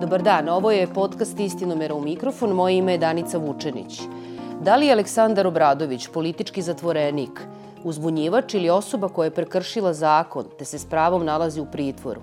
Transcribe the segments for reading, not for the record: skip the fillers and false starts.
Dobar dan, ovo je podcast Istinomera u mikrofon, moje ime je Danica Vučenić. Da li je Aleksandar Obradović politički zatvorenik, uzbunjivač ili osoba koja je prekršila zakon te se s pravom nalazi u pritvoru?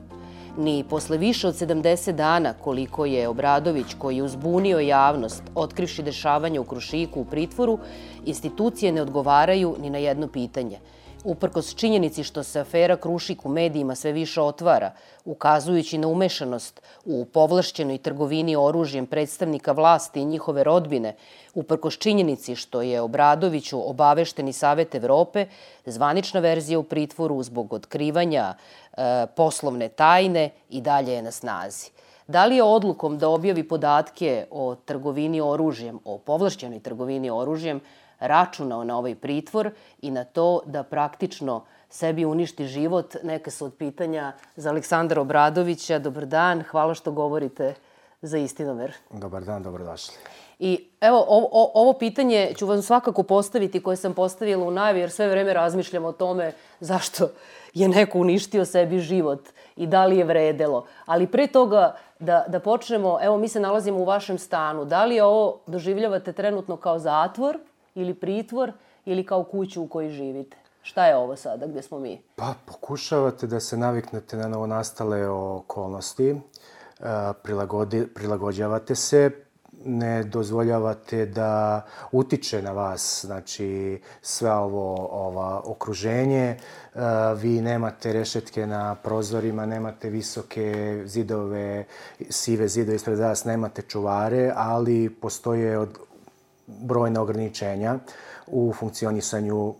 Ni posle više od 70 dana koliko je Obradović, koji je uzbunio javnost, otkrivši dešavanja u Krušiku u pritvoru, institucije ne odgovaraju ni na jedno pitanje. Uprkos činjenici što se afera Krušik u medijima sve više otvara, ukazujući na umešanost u povlašćenoj trgovini oružjem predstavnika vlasti i njihove rodbine, uprkos činjenici što je Obradoviću obavešteni Savet Evrope, zvanična verzija u pritvoru zbog otkrivanja poslovne tajne i dalje je na snazi. Da li je odlukom da objavi podatke o trgovini oružjem, o povlašćenoj trgovini oružjem, računao na ovaj pritvor i na to da praktično sebi uništi život? Neka su od pitanja za Aleksandra Obradovića. Dobar dan, hvala što govorite za Istinomer. Dobar dan, dobrodošli. I evo, ovo pitanje ću vam svakako postaviti koje sam postavila u najavi, jer sve vreme razmišljam o tome zašto je neko uništio sebi život i da li je vredelo. Ali pre toga da počnemo, evo mi se nalazimo u vašem stanu. Da li ovo doživljavate trenutno kao zatvor ili pritvor ili kao kuću u kojoj živite? Šta je ovo sada gde smo mi? Pa pokušavate da se naviknete na novonastale okolnosti, prilagođavate se, ne dozvoljavate da utiče na vas, znači sve ovo okruženje. Vi nemate rešetke na prozorima, nemate visoke zidove, sive zidove ispred vas, nemate čuvare, ali postoje brojna ograničenja u funkcionisanju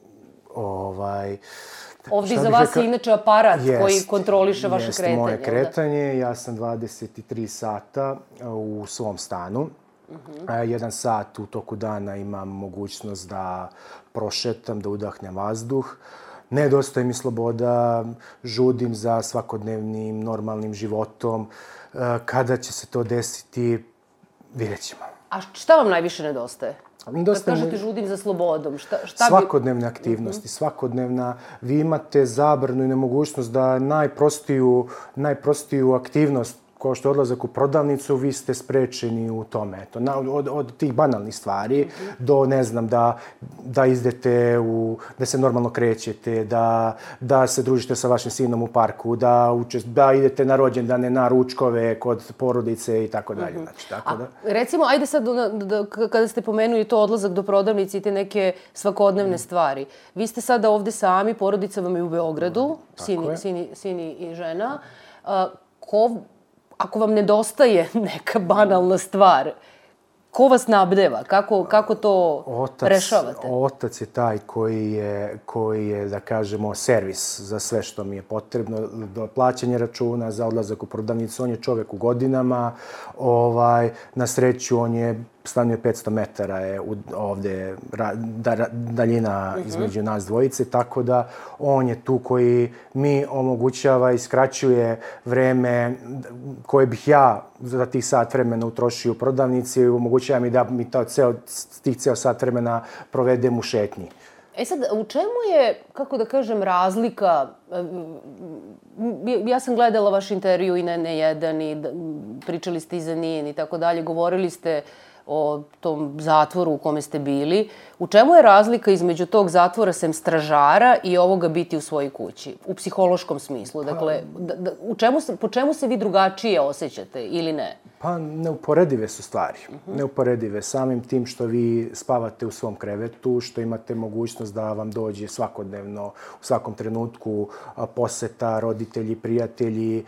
Ovdje za vas je inače aparat koji kontroliše vaše kretanje. Jeste moje kretanje. Ja sam 23 sata u svom stanu. 1 sat u toku dana imam mogućnost da prošetam, da udahnem vazduh. Nedostaje mi sloboda, žudim za svakodnevnim normalnim životom. Kada će se to desiti, vidjet ćemo. A šta vam najviše nedostaje? Kad kažete žudim za slobodom, šta bi... Svakodnevne aktivnosti, svakodnevna. Vi imate zabranu i nemogućnost da najprostiju aktivnost, kao što je odlazak u prodavnicu, vi ste sprečeni u tome. Od tih banalnih stvari do, ne znam, da izdete, da se normalno krećete, da se družite sa vašim sinom u parku, da idete na rođendane, na ručkove kod porodice i tako dalje. Recimo, ajde sad, kada ste pomenuli to odlazak do prodavnice i te neke svakodnevne stvari. Vi ste sada ovde sami, porodica vam je u Beogradu, sin i žena. Ako vam nedostaje neka banalna stvar, ko vas nabdeva? Kako to rešavate? Otac je taj koji je, da kažemo, servis za sve što mi je potrebno, do plaćanja računa, za odlazak u prodavnicu. On je čovek u godinama, na sreću on je stanuje 500 metara je ovde daljina između nas dvojice, tako da on je tu koji mi omogućava i skraćuje vreme koje bih ja za tih sat vremena utrošio u prodavnici i omogućava mi da mi ceo sat vremena provedem u šetnji. E sad, u čemu je, kako da kažem, razlika? Ja sam gledala vaš intervju i na N1 i pričali ste i za NIN i tako dalje, govorili ste o tom zatvoru u kome ste bili. U čemu je razlika između tog zatvora sem stražara i ovoga biti u svojoj kući? U psihološkom smislu. Dakle, po čemu se vi drugačije osjećate ili ne? Pa, neuporedive su stvari. Neuporedive. Samim tim što vi spavate u svom krevetu, što imate mogućnost da vam dođe svakodnevno, u svakom trenutku poseta, roditelji, prijatelji,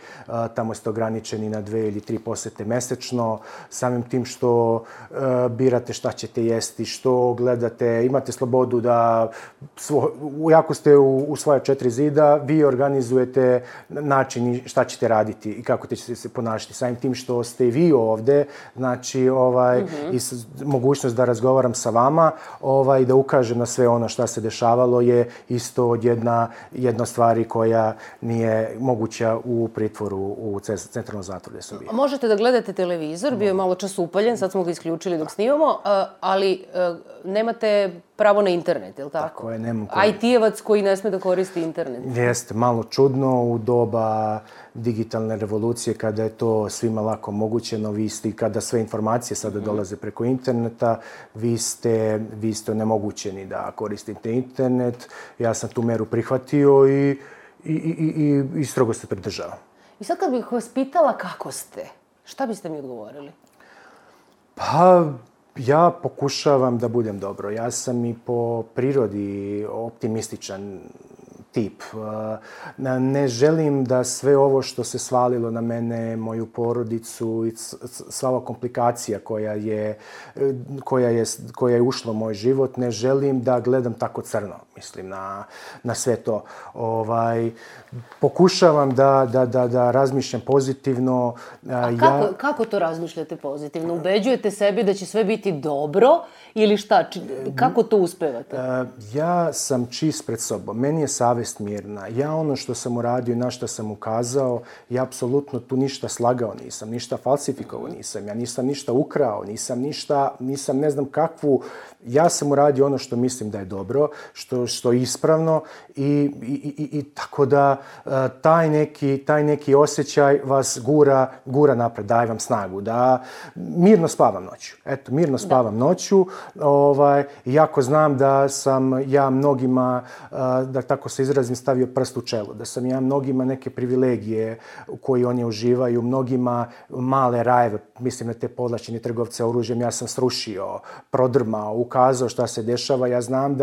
tamo ste ograničeni na 2 ili 3 posete mesečno. Samim tim što birate šta ćete jesti, što gledate, imate slobodu da, jako ste u svoje 4 zida, vi organizujete način šta ćete raditi i kako ćete se ponašati. Samim tim što ste i vi ovde, znači, i mogućnost da razgovaram sa vama i da ukažem na sve ono šta se dešavalo je isto jedna stvari koja nije moguća u pritvoru, u centralnom zatvoru gde su bili. Možete da gledate televizor, bio je malo čas upaljen, sad smo ga isključili dok snimamo, ali nemate pravo na internet, je li tako? Tako je, nemam IT-evac koji ne sme da koristi internet. Jeste, malo čudno u doba digitalne revolucije, kada je to svima lako omogućeno, kada sve informacije sada dolaze preko interneta, vi ste onemogućeni da koristite internet. Ja sam tu meru prihvatio i strogo se pridržavam. I sad kad bih vas pitala kako ste, šta biste mi odgovorili? Pa, ja pokušavam da budem dobro. Ja sam i po prirodi optimističan tip. Ne želim da sve ovo što se svalilo na mene, moju porodicu i sva ova komplikacija koja je ušla u moj život, ne želim da gledam tako crno, mislim, na sve to. Pokušavam da razmišljam pozitivno. Kako to razmišljate pozitivno? Ubeđujete sebi da će sve biti dobro ili šta? Kako to uspevate? Ja sam čist pred sobom. Meni je savest mirna. Ja ono što sam uradio i na što sam ukazao, ja apsolutno tu ništa slagao nisam, ništa falsifikovao nisam, ja nisam ništa ukrao, nisam ne znam kakvu. Ja sam uradio ono što mislim da je dobro, što je ispravno i tako da taj neki osjećaj vas gura napred, daje vam snagu, da mirno spavam noću. Eto, mirno spavam noću. Iako znam da sam ja mnogima, da tako se izrazim, stavio prst u čelo, da sam ja mnogima neke privilegije koje oni uživaju, mnogima male rajeve, mislim na te povlašćene trgovce oružjem, ja sam srušio, prodrmao, ukazao šta se dešava. Ja znam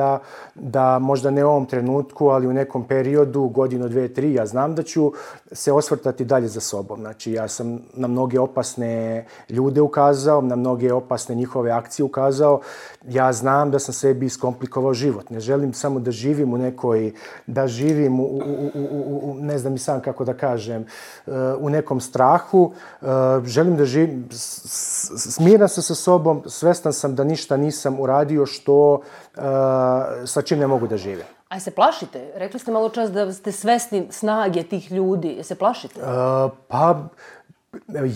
da možda ne u ovom trenutku, ali u nekom periodu, godinu, 2, 3, ja znam da ću se osvrtati dalje za sobom. Znači, ja sam na mnoge opasne ljude ukazao, na mnoge opasne njihove akcije ukazao. Ja znam da sam sebi iskomplikovao život. Ne želim samo da živim ne znam i sam kako da kažem, u nekom strahu. Želim da živim, smiran sam sa sobom, svestan sam da ništa nisam uradio sa čim ne mogu da živim. A se plašite? Rekli ste malo čas da ste svesni snage tih ljudi. Se plašite? Pa,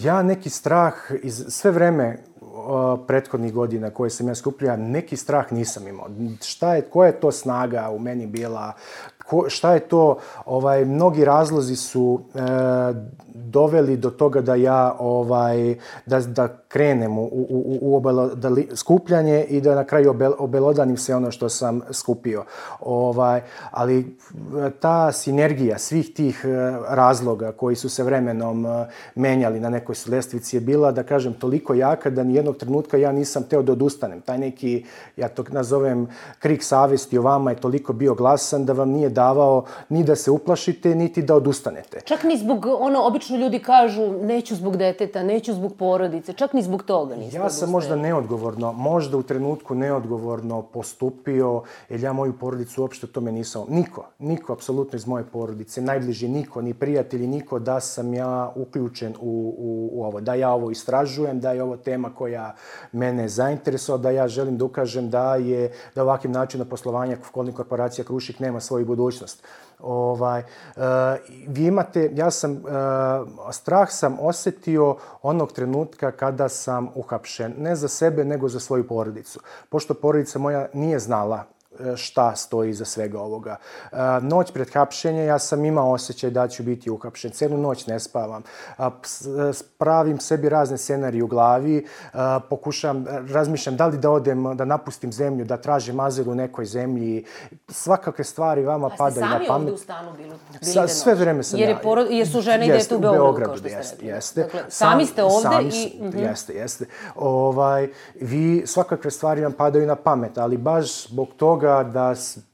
ja neki strah sve vreme prethodnih godina koje sam ja skupljao, neki strah nisam imao. Koja je to snaga u meni bila? Šta je to? Mnogi razlozi su doveli do toga da ja da krenem u skupljanje i da na kraju obelodanim sve ono što sam skupio. Ali ta sinergija svih tih razloga koji su se vremenom menjali na nekoj lestvici je bila, da kažem, toliko jaka da nijednog trenutka ja nisam teo da odustanem. Taj neki, ja to nazovem, krik savesti o vama je toliko bio glasan da vam nije davao ni da se uplašite, niti da odustanete. Čak ni zbog, obično ljudi kažu, neću zbog deteta, neću zbog porodice, čak ni zbog toga niste odustajali. Ja sam možda u trenutku neodgovorno postupio, jer ja moju porodicu uopšte tome nisam, niko apsolutno iz moje porodice, najbliži niko, ni prijatelji, niko, da sam ja uključen u ovo, da ja ovo istražujem, da je ovo tema koja mene zainteresovala, da ja želim da ukažem da ovakvim načinom poslovanja holding korporacija Krušik nema svoju budućnost. Vi imate, strah sam osjetio onog trenutka kada sam uhapšen, ne za sebe, nego za svoju porodicu. Pošto porodica moja nije znala šta stoji iza svega ovoga. Noć pred hapšenje ja sam imao osjećaj da ću biti uhapšen. Cijelu noć ne spavam. Pravim sebi razne scenarije u glavi. Razmišljam da li da odem, da napustim zemlju, da tražim azil u nekoj zemlji. Svakakve stvari vama padaju na pamet. A ste sami ovde u stanu bili? Sve vreme sam ja. Jer su žene i dete u Beogradu, kao što ste rekli. Jeste. Dakle, sami ste ovde i... Jeste. Svakakve stvari vam padaju na pamet, ali baš zbog toga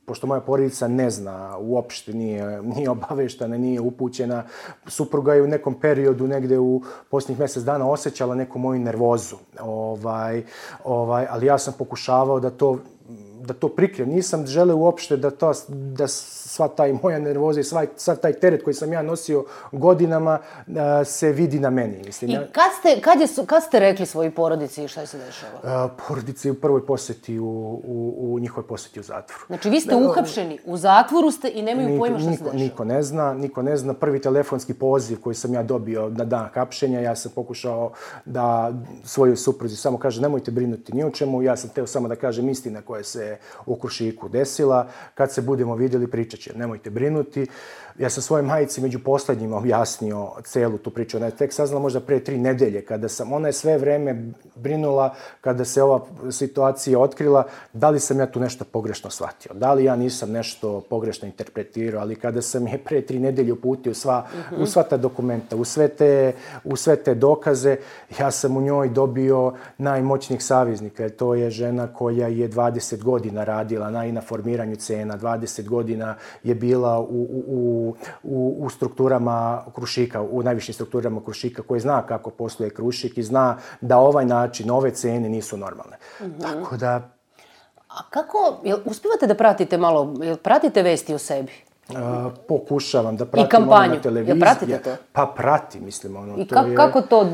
pošto moja porodica ne zna, uopšte nije obaveštena, nije upućena, supruga je u nekom periodu, negde u posljednjih mjesec dana, osjećala neku moju nervozu. Ali ja sam pokušavao da to prikrijem. Nisam želeo uopšte da sva taj moja nervoza i sva taj teret koji sam ja nosio godinama se vidi na meni. Mislim. I kad ste rekli svojoj porodici i šta se dešava? Porodici u prvoj posjeti, u njihovoj posjeti u zatvoru. Znači vi ste uhapšeni, u zatvoru ste i nemaju pojma šta se dešava? Niko ne zna. Prvi telefonski poziv koji sam ja dobio na dan hapšenja, ja sam pokušao da svojoj supruzi samo kažem nemojte brinuti ni o čemu, ja sam teo samo da kažem istina koja se se u Krušiku desila. Kad se budemo vidjeli, pričat će, nemojte brinuti. Ja sam svojoj majici među posljednjima objasnio celu tu priču. Ona je tek saznala možda pre 3 nedelje, ona je sve vreme brinula kada se ova situacija otkrila, da li sam ja tu nešto pogrešno shvatio, da li ja nisam nešto pogrešno interpretirao, ali kada sam je pre 3 nedelje uputio u sva ta dokumenta, u sve te dokaze, ja sam u njoj dobio najmoćnijeg saveznika. To je žena koja je 20 godina radila na formiranju cena, 20 godina je bila u strukturama Krušika, u najvišim strukturama Krušika, koji zna kako posluje Krušik i zna da ovaj način, ove cene nisu normalne. Tako da... A kako, uspivate da pratite malo, pratite vesti o sebi? Pokušavam da pratim. I kampanju, jel pratite to? Pa pratim, mislim. I kako to,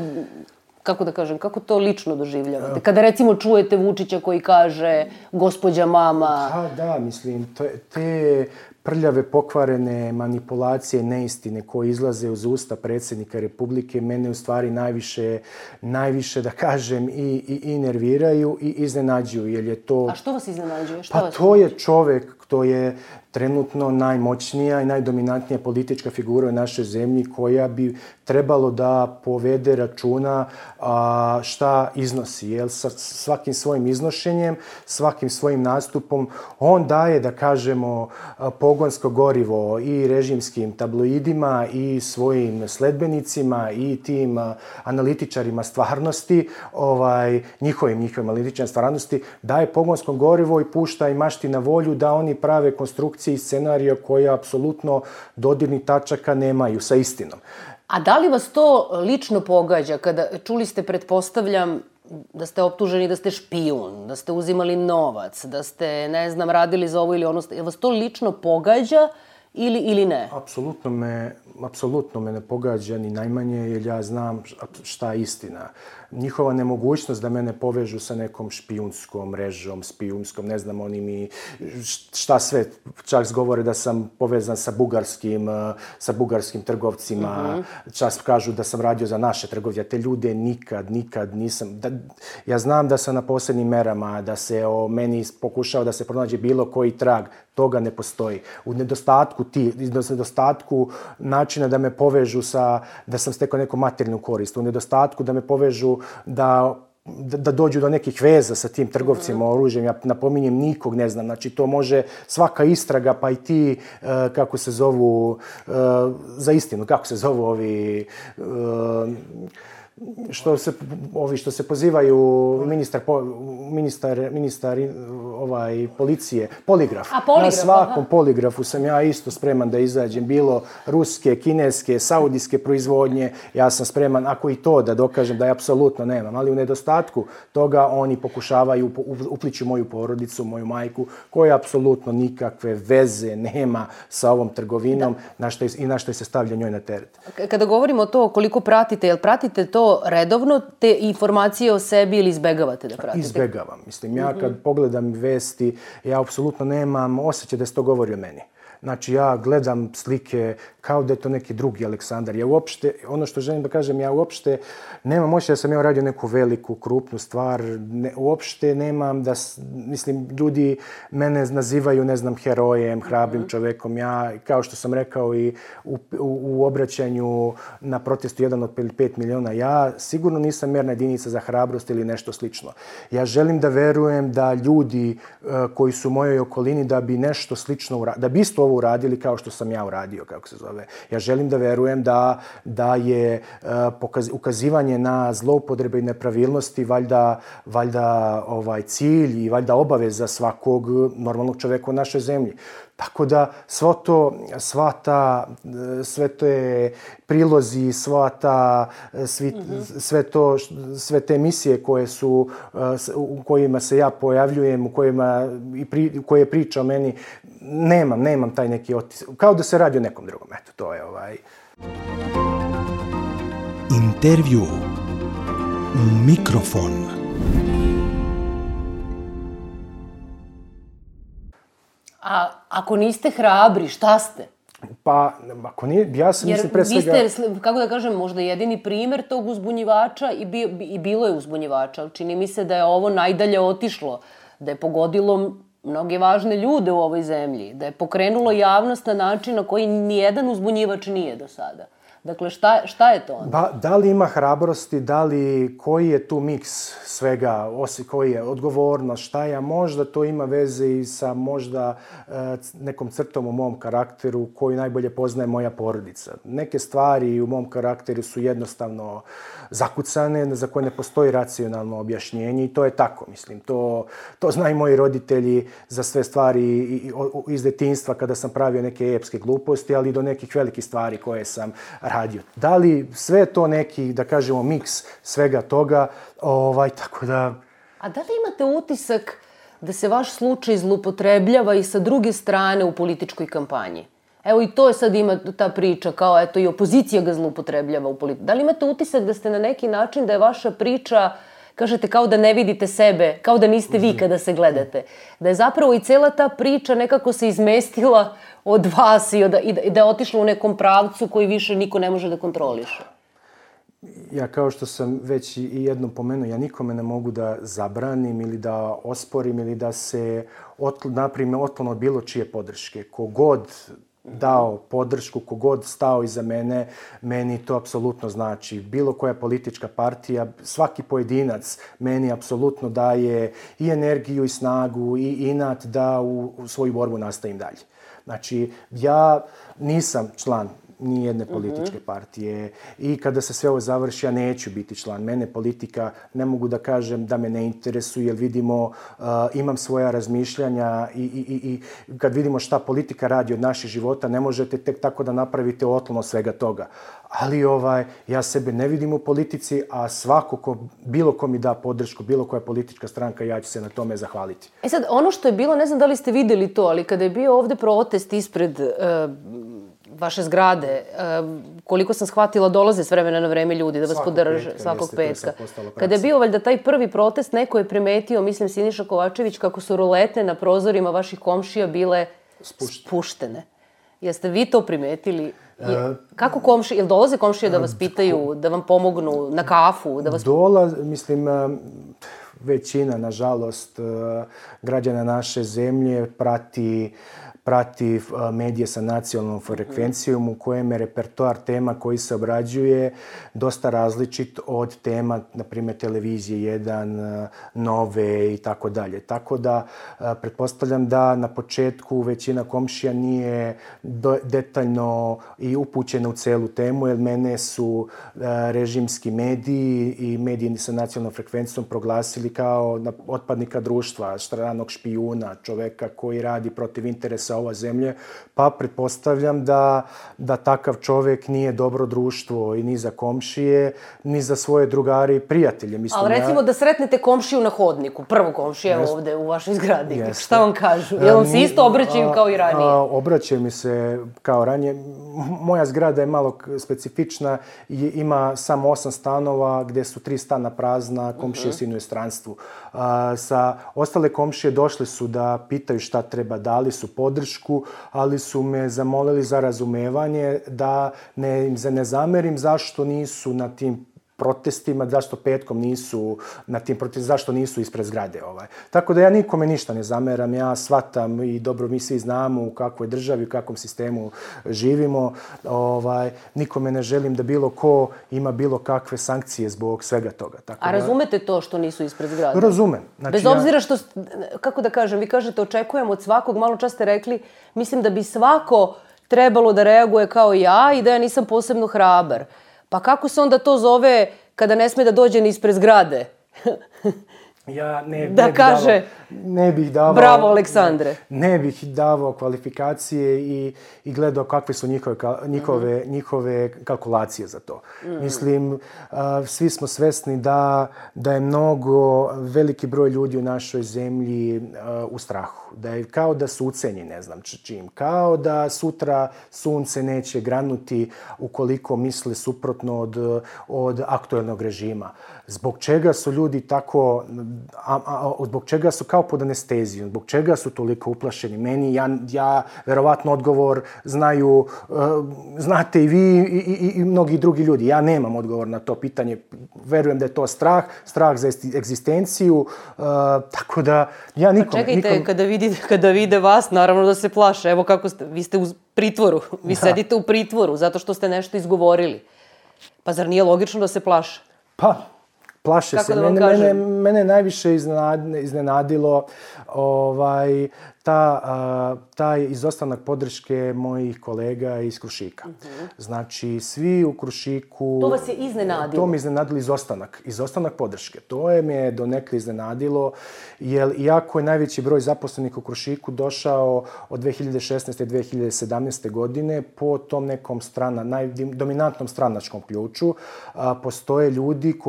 kako da kažem, kako to lično doživljavate? Kada recimo čujete Vučića koji kaže gospođa mama... Pa da, mislim, te prljave, pokvarene manipulacije, neistine koje izlaze uz usta predsjednika Republike mene u stvari najviše da kažem i nerviraju i iznenađuju, jer je to... A što vas iznenađuje? Pa to je čovek, to je trenutno najmoćnija i najdominantnija politička figura u našoj zemlji koja bi trebalo da povede računa šta iznosi. Jer sa svakim svojim iznošenjem, svakim svojim nastupom, on daje, da kažemo, pogonsko gorivo i režimskim tabloidima i svojim sledbenicima i tim analitičarima stvarnosti, njihovim analitičarima stvarnosti, daje pogonsko gorivo i pušta i mašti na volju da oni prave konstrukcije i scenarija koje apsolutno dodirnih tačaka nemaju sa istinom. A da li vas to lično pogađa kada čuli ste, pretpostavljam, da ste optuženi da ste špijun, da ste uzimali novac, da ste, ne znam, radili za ovo ili ono, je vas to lično pogađa ili ne? Apsolutno me ne pogađa ni najmanje, jer ja znam šta je istina. Njihova nemogućnost da mene povežu sa nekom špijunskom mrežom, ne znam, oni mi šta sve, čak govore da sam povezan sa bugarskim trgovcima, čak kažu da sam radio za naše trgovce. Te ljude nikad nisam. Ja znam da sam na posebnim merama, da se o meni pokušao da se pronađe bilo koji trag, toga ne postoji. U nedostatku načina da me povežu da sam stekao neku materijalnu korist, u nedostatku da me povežu da dođu do nekih veza sa tim trgovcima oružjem. Ja napominjem, nikog ne znam. Znači, to može svaka istraga, pa i ti, kako se zovu, za istinu, kako se zovu ovi... što se pozivaju ministar policije, poligraf. Na svakom poligrafu sam ja isto spreman da izađem, bilo ruske, kineske, saudijske proizvodnje, ja sam spreman, ako i to da dokažem da je apsolutno nemam, ali u nedostatku toga oni pokušavaju upliću moju porodicu, moju majku, koja apsolutno nikakve veze nema sa ovom trgovinom i na što se stavlja njoj na teret. Kada govorimo o to koliko pratite, jel pratite to redovno, te informacije o sebi ili izbegavate da pratite? Izbegavam. Mislim, ja kad pogledam vesti, ja apsolutno nemam osjećaj da se to govori o meni. Znači, ja gledam slike kao da je to neki drugi Aleksandar. Ja uopšte, ono što želim da kažem, ja uopšte nemam osjećaj da sam ja uradio neku veliku, krupnu stvar. Uopšte nemam da, mislim, ljudi mene nazivaju, ne znam, herojem, hrabrim čovekom. Ja, kao što sam rekao i u obraćanju na protestu 1 od 5 miliona, ja sigurno nisam mjerna jedinica za hrabrost ili nešto slično. Ja želim da verujem da ljudi koji su u mojoj okolini da bi nešto slično uradili, da bi isto ovo uradili kao što sam ja uradio, kako se zove. Ja želim da verujem da je ukazivanje na zloupotrebe i nepravilnosti valjda cilj i valjda obaveza svakog normalnog čoveka u našoj zemlji. Tako da sve te prilozi, sve te emisije u kojima se ja pojavljujem, u koje priča o meni, nemam taj neki otisak. Kao da se radi o nekom drugom. Eto, to je Intervju u mikrofon. A ako niste hrabri, šta ste? Pa, ako nije, ja sam mislim pre svega... Jer vi ste, kako da kažem, možda jedini primer tog uzbunjivača i bilo je uzbunjivača. Čini mi se da je ovo najdalje otišlo, da je pogodilo mnoge važne ljude u ovoj zemlji, da je pokrenulo javnost na način na koji nijedan uzbunjivač nije do sada. Dakle, šta je to onda? Da li ima hrabrosti, koji je tu miks svega, koji je odgovornost, šta je, možda to ima veze i sa možda nekom crtom u mom karakteru koju najbolje poznaje moja porodica. Neke stvari u mom karakteru su jednostavno zakucane, za koje ne postoji racionalno objašnjenje i to je tako, mislim. To znaju moji roditelji za sve stvari iz detinjstva kada sam pravio neke epske gluposti, ali i do nekih velikih stvari koje sam radio. Da li sve to neki, da kažemo, miks svega toga, tako da... A da li imate utisak da se vaš slučaj zloupotrebljava i sa druge strane u političkoj kampanji? Evo i to je sad ima ta priča, kao eto i opozicija ga zloupotrebljava u politici. Da li imate utisak da ste na neki način, da je vaša priča, kažete, kao da ne vidite sebe, kao da niste vi kada se gledate? Da je zapravo i cela ta priča nekako se izmestila od vas i da je otišla u nekom pravcu koji više niko ne može da kontroliše? Ja, kao što sam već i jednom pomenuo, ja nikome ne mogu da zabranim ili da osporim ili da se naprime otklon od bilo čije podrške. Kogod dao podršku, kogod stao iza mene, meni to apsolutno znači. Bilo koja politička partija, svaki pojedinac meni apsolutno daje i energiju i snagu i inat da u svoju borbu nastavim dalje. Znači, ja nisam član ni jedne političke partije i kada se sve ovo završi, ja neću biti član. Mene politika, ne mogu da kažem da me ne interesuje, jer vidimo, imam svoja razmišljanja i kad vidimo šta politika radi od naših života, ne možete tek tako da napravite otklon od svega toga. Ali ja sebe ne vidim u politici, a svako bilo ko mi da podršku, bilo koja politička stranka, ja ću se na tome zahvaliti. E sad, ono što je bilo, ne znam da li ste videli to, ali kada je bio ovde protest ispred vaše zgrade, koliko sam shvatila, dolaze s vremena na vreme ljudi da vas podrže svakog petka. Kada je bio valjda taj prvi protest, neko je primetio, mislim Siniša Kovačević, kako su rolete na prozorima vaših komšija bile spuštene. Jeste vi to primetili? Kako komšije, jel dolaze komšije da vas pitaju, da vam pomognu na kafu? Mislim, većina, nažalost, građana naše zemlje prati medije sa nacionalnom frekvencijom u kojem je repertoar tema koji se obrađuje dosta različit od tema, na primjer, televizije 1, Nove i tako dalje. Tako da, pretpostavljam da na početku većina komšija nije detaljno i upućena u celu temu, jer mene su režimski mediji i mediji sa nacionalnom frekvencijom proglasili kao otpadnika društva, stranog špijuna, čoveka koji radi protiv interesa ova zemlje, pa pretpostavljam da takav čovjek nije dobro društvo i ni za komšije, ni za svoje drugare i prijatelje. Ali recimo da sretnete komšiju na hodniku, prvu komšiju ovde u vašoj zgradi, šta vam kažu? Jel vam se isto obraćaju kao i ranije? Obraćaju mi se kao ranije. Moja zgrada je malo specifična i ima samo 8 stanova gdje su 3 stana prazna, komšije su u inostranstvu. Sa ostale komšije došli su da pitaju šta treba, dali su podršku, ali su me zamolili za razumevanje da im se ne zamerim zašto nisu na tim protestima, zašto petkom nisu na tim protestima, zašto nisu ispred zgrade. Tako da ja nikome ništa ne zameram, ja shvatam i dobro mi svi znamo u kakvoj državi, u kakvom sistemu živimo. Nikome ne želim da bilo ko ima bilo kakve sankcije zbog svega toga. A razumete to što nisu ispred zgrade? Razumem. Bez obzira što, kako da kažem, vi kažete očekujem od svakog, malo čas ste rekli, mislim da bi svako trebalo da reaguje kao ja i da ja nisam posebno hrabar. Pa kako se onda to zove kada ne sme da dođe ni ispred zgrade? Ja ne bih davao... Bravo, Aleksandre. Ne bih davao kvalifikacije i gledao kakve su njihove kalkulacije za to. Mislim, svi smo svesni da je mnogo, veliki broj ljudi u našoj zemlji u strahu. Da je kao da su ucenjeni, ne znam čim. Kao da sutra sunce neće granuti ukoliko misle suprotno od aktuelnog režima. Zbog čega su ljudi tako zbog čega su kao pod anestezijom, zbog čega su toliko uplašeni. Meni, ja verovatno odgovor znate i vi i mnogi drugi ljudi. Ja nemam odgovor na to pitanje. Verujem da je to strah za egzistenciju, tako da ja nikom... Pa čekajte, kada vide vas, naravno da se plaše. Evo kako ste, vi ste u pritvoru, vi sedite u pritvoru zato što ste nešto izgovorili. Pa zar nije logično da se plaše? Pa, plaše se. Mene najviše iznenadilo taj izostanak podrške mojih kolega iz Krušika. Znači, svi u Krušiku... To vas je iznenadilo? To me iznenadilo izostanak podrške. To je me donekle iznenadilo, jer iako je najveći broj zaposlenih u Krušiku došao od 2016. i 2017. godine, po tom nekom dominantnom stranačkom ključu, postoje ljudi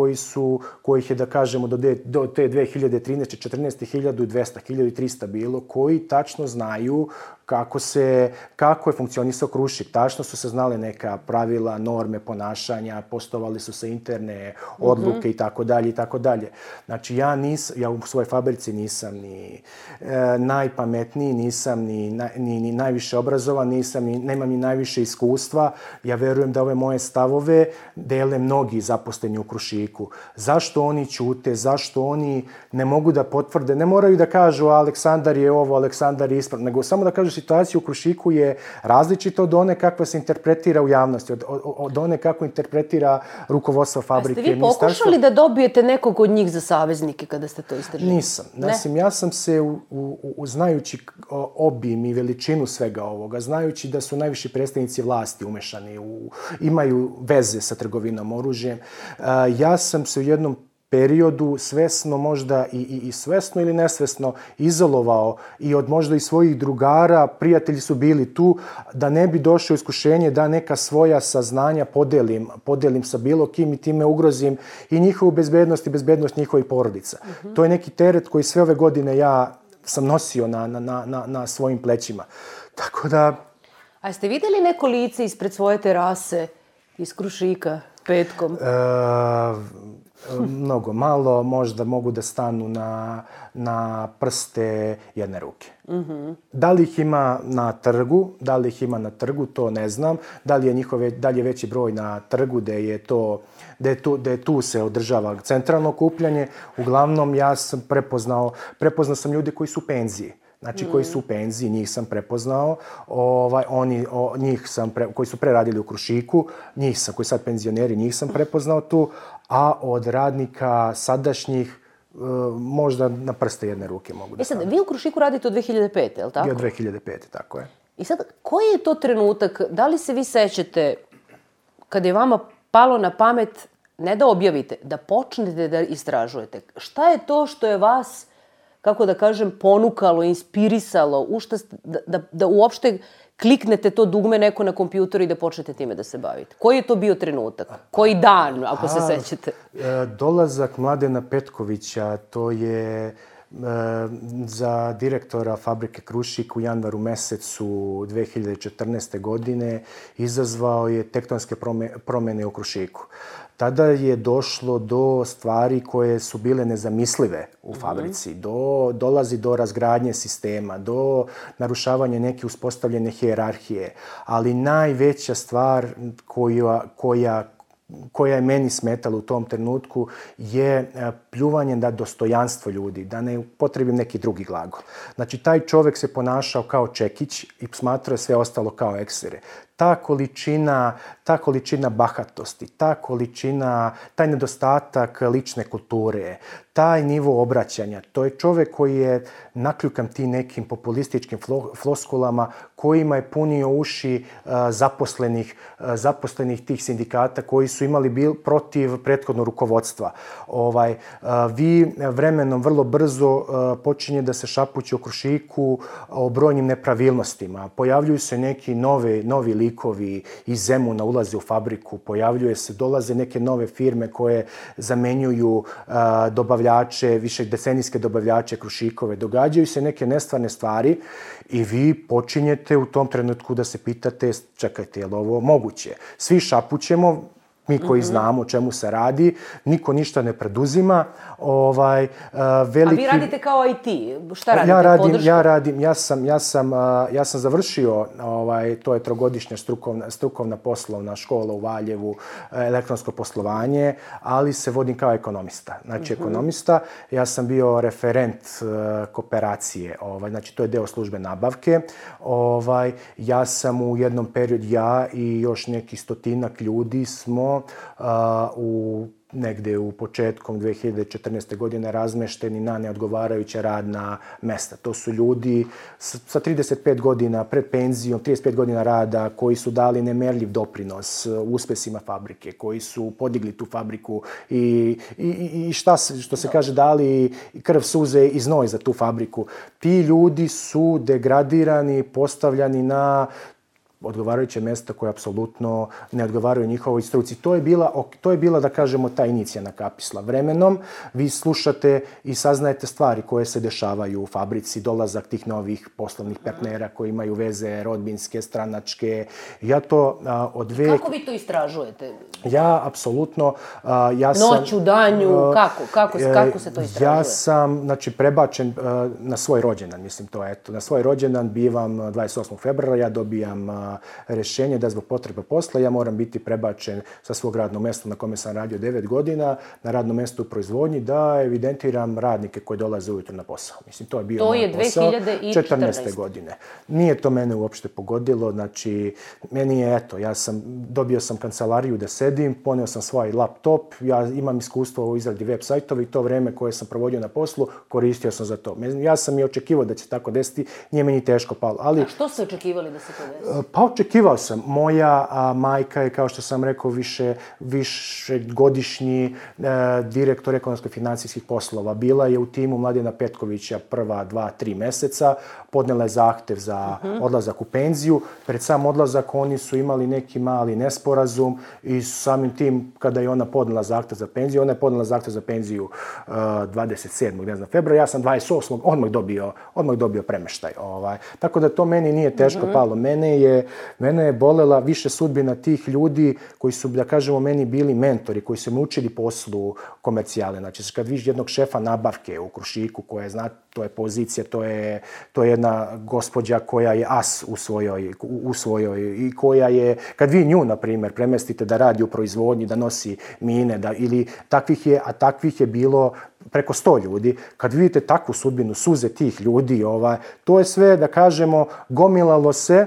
kojih je, da kažemo, do te 2013. 14. 1200, 1300 bilo, koji tačno znaju kako je funkcionisao Krušik. Tačno su se znale neka pravila, norme ponašanja, poštovali su se interne odluke i tako dalje i tako dalje. Znači, ja u svojoj fabrici nisam ni najpametniji, nisam ni najviše obrazovan, nemam ni najviše iskustva. Ja verujem da ove moje stavove dele mnogi zaposleni u Krušiku. Zašto oni ćute, zašto oni ne mogu da potvrde, ne moraju da kažu Aleksandar je ovo, Aleksandar je ispravno, nego samo da kažu situacija u Krušiku je različita od one kakva se interpretira u javnosti, od one kako interpretira rukovodstvo fabrike. A ste vi pokušali da dobijete nekog od njih za saveznike kada ste to istražili? Nisam. Ja sam se, znajući obim i veličinu svega ovoga, znajući da su najviši predstavnici vlasti umešani, imaju veze sa trgovinom oružjem, ja sam se u jednom periodu svesno možda i svesno ili nesvesno izolovao i od možda i svojih drugara, prijatelji su bili tu, da ne bi došlo iskušenje da neka svoja saznanja podelim sa bilo kim i time ugrozim i njihovu bezbednost i bezbednost njihovih porodica. To je neki teret koji sve ove godine ja sam nosio na svojim plećima. Tako da... A jeste vidjeli neko lice ispred svoje terase iz Krušika petkom? Mnogo malo, možda mogu da stanu na prste jedne ruke. Da li ih ima na trgu, to ne znam. Da li je veći broj na trgu gde tu se održava centralno okupljanje. Uglavnom, ja sam prepoznao sam ljude koji su u penziji. Znači, koji su u penziji, njih sam prepoznao. Koji su preradili u Krušiku, koji sad penzioneri, njih sam prepoznao tu. A od radnika sadašnjih, možda na prste jedne ruke mogu da stanu. Vi u Krušiku radite od 2005. je li tako? I od 2005. tako je. I sad, koji je to trenutak, da li se vi sećate, kada je vama palo na pamet, ne da objavite, da počnete da istražujete? Šta je to što je vas, kako da kažem, ponukalo, inspirisalo, da uopšte kliknete to dugme neko na kompjuteru i da počnete time da se bavite? Koji je to bio trenutak? Koji dan, ako se sećate? Dolazak Mladena Petkovića, to je za direktora fabrike Krušik u januaru mesecu 2014. godine izazvao je tektonske promjene u Krušiku. Tada je došlo do stvari koje su bile nezamislive u fabrici. Dolazi do razgradnje sistema, do narušavanja neke uspostavljene hijerarhije. Ali najveća stvar koja je meni smetala u tom trenutku je pljuvanje na dostojanstvo ljudi, da ne upotrebim neki drugi glagol. Znači, taj čovjek se ponašao kao čekić i smatrao sve ostalo kao eksere. Ta količina bahatosti, taj nedostatak lične kulture, taj nivo obraćanja, to je čovjek koji je nakljukan tim nekim populističkim floskulama kojima je punio uši zaposlenih tih sindikata koji su imali protiv prethodno rukovodstva. Vi vremenom vrlo brzo počinje da se šapuće u Krušiku o brojnim nepravilnostima. Pojavljuju se neki novi likovi iz Zemuna, ulaze u fabriku, dolaze neke nove firme koje zamenjuju dobavljače, višedecenijske dobavljače Krušikove. Događaju se neke nestvarne stvari i vi počinjete u tom trenutku da se pitate, čekajte, je li ovo moguće? Svi šapućemo, mi koji znamo o čemu se radi, niko ništa ne preduzima. A vi radite kao IT? Šta radite? Ja sam završio, to je trogodišnja strukovna poslovna škola u Valjevu, elektronsko poslovanje, ali se vodim kao ekonomista. Znači, ekonomista, ja sam bio referent kooperacije, znači to je deo službe nabavke. Ja sam u jednom periodu, ja i još neki 100-ak ljudi smo negde u početkom 2014. godine razmešteni na neodgovarajuća radna mesta. To su ljudi sa 35 godina pred penzijom, 35 godina rada, koji su dali nemerljiv doprinos uspesima fabrike, koji su podigli tu fabriku i što se kaže, dali krv, suze i znoj za tu fabriku. Ti ljudi su degradirani, postavljani na odgovarajuće mjesta koje apsolutno ne odgovaraju njihovoj struci. To je bila, da kažemo, ta inicijalna kapisla. Vremenom vi slušate i saznajete stvari koje se dešavaju u fabrici, dolazak tih novih poslovnih partnera koji imaju veze rodbinske, stranačke. Kako vi to istražujete? Ja, apsolutno, Noću, danju, kako se to istražuje? Ja sam, znači, prebačen na svoj rođendan, mislim to, eto. Na svoj rođendan bivam 28. februara, ja dobijam rješenje da zbog potrebe posla ja moram biti prebačen sa svog radnog mjesta na kome sam radio 9 godina na radno mjesto u proizvodnji, da evidentiram radnike koji dolaze ujutro na posao. Mislim, to je bio moj posao. To je 2014. godine. Nije to mene uopšte pogodilo, znači, meni je, eto, dobio sam kancelariju da sedim, poneo sam svoj laptop, ja imam iskustvo u izradi web sajtova i to vreme koje sam provodio na poslu koristio sam za to. Ja sam i očekivao da će se tako desiti, nije meni teško palo. A što ste očekivali da se to desi? Pa očekivao sam. Moja majka je, kao što sam rekao, višegodišnji direktor ekonomsko-financijskih poslova. Bila je u timu Mladena Petkovića prva 2-3 meseca, podnela je zahtev za odlazak u penziju. Pred sam odlazak oni su imali neki mali nesporazum i samim tim, kada je ona podnela zahtev za penziju, ona je podnela zahtev za penziju 27. februara, ja sam 28. odmah dobio premeštaj. Tako da to meni nije teško palo. Mene je bolela više sudbina tih ljudi koji su, da kažemo, meni bili mentori, koji su me učili poslu komercijale. Znači, kad vidiš jednog šefa nabavke u Krušiku, koja je, znate, to je pozicija, to je jedna gospođa koja je as u svojoj i koja je, kad vi nju, na primjer, premestite da radi u proizvodnji, da nosi mine, ili takvih je bilo preko 100 ljudi, kad vidite takvu sudbinu, suze tih ljudi, to je sve, da kažemo, gomilalo se,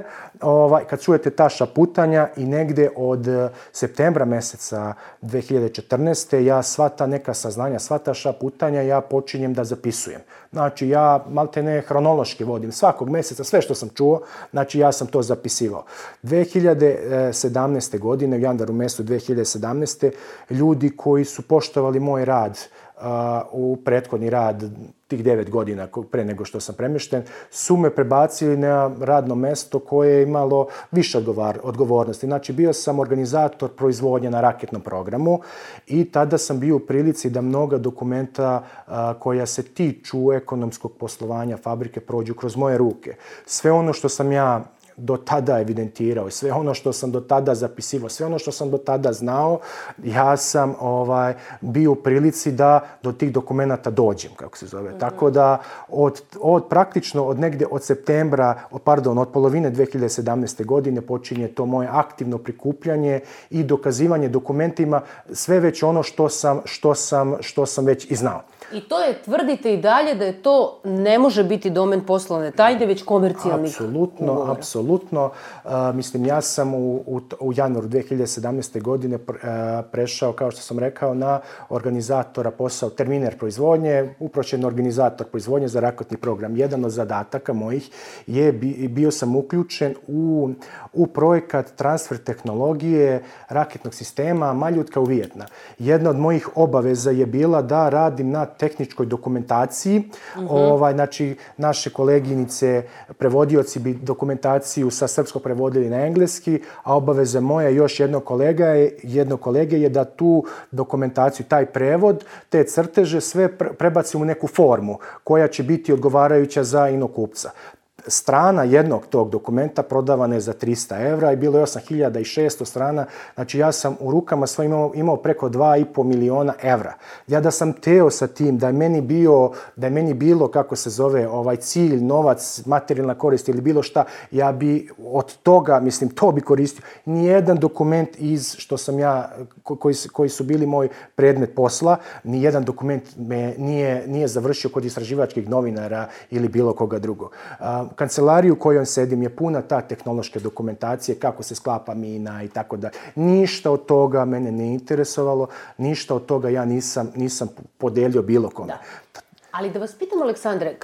kad čujete ta šaputanja i negde od septembra meseca 2014. ja sva ta neka saznanja, sva ta šaputanja ja počinjem da zapisujem. Znači, ja maltene hronološki vodim svakog meseca, sve što sam čuo, znači ja sam to zapisivao. 2017. godine, u januaru mesecu 2017. ljudi koji su poštovali moj rad u prethodni rad tih 9 godina pre nego što sam premješten, su me prebacili na radno mesto koje je imalo više odgovornosti. Znači, bio sam organizator proizvodnje na raketnom programu i tada sam bio u prilici da mnoga dokumenta koja se tiču ekonomskog poslovanja fabrike prođu kroz moje ruke. Sve ono što sam ja do tada evidentirao, sve ono što sam do tada zapisivao, sve ono što sam do tada znao, ja sam bio u prilici da do tih dokumenata dođem, kako se zove. Tako da praktično od polovine 2017. godine počinje to moje aktivno prikupljanje i dokazivanje dokumentima, sve već ono što sam već i znao. I to je, tvrdite i dalje, da je to ne može biti domen poslovne tajne, već komercijalnih ugovora. Apsolutno. Mislim, ja sam u januaru 2017. godine prešao, kao što sam rekao, na organizatora posao terminer proizvodnje, uprošćen organizator proizvodnje za raketni program. Jedan od zadataka mojih je bio sam uključen u projekat transfer tehnologije raketnog sistema Maljutka u Vijetnam. Jedna od mojih obaveza je bila da radim na tehničkoj dokumentaciji. Znači, naše koleginice, prevodioci bi dokumentaciju sa srpskog prevodili na engleski, a obaveza moja još jednog kolege je da tu dokumentaciju, taj prevod, te crteže sve prebacim u neku formu koja će biti odgovarajuća za inokupca. strana jednog tog dokumenta prodavana je za 300 evra i bilo je 8600 strana. Znači ja sam u rukama svojim imao preko 2,5 miliona evra. Ja da sam teo sa tim, da je meni bilo, kako se zove, cilj, novac, materijalna korist ili bilo šta, ja bi od toga, mislim, to bi koristio. Nijedan dokument što sam ja, koji su bili moj predmet posla, nijedan dokument me nije završio kod istraživačkih novinara ili bilo koga drugog. Kancelariju u kojoj sedim je puna ta tehnološke dokumentacije, kako se sklapa mina i tako da. Ništa od toga mene ne interesovalo, ništa od toga ja nisam podelio bilo kome. Da. Ali da vas pitam, Aleksandre,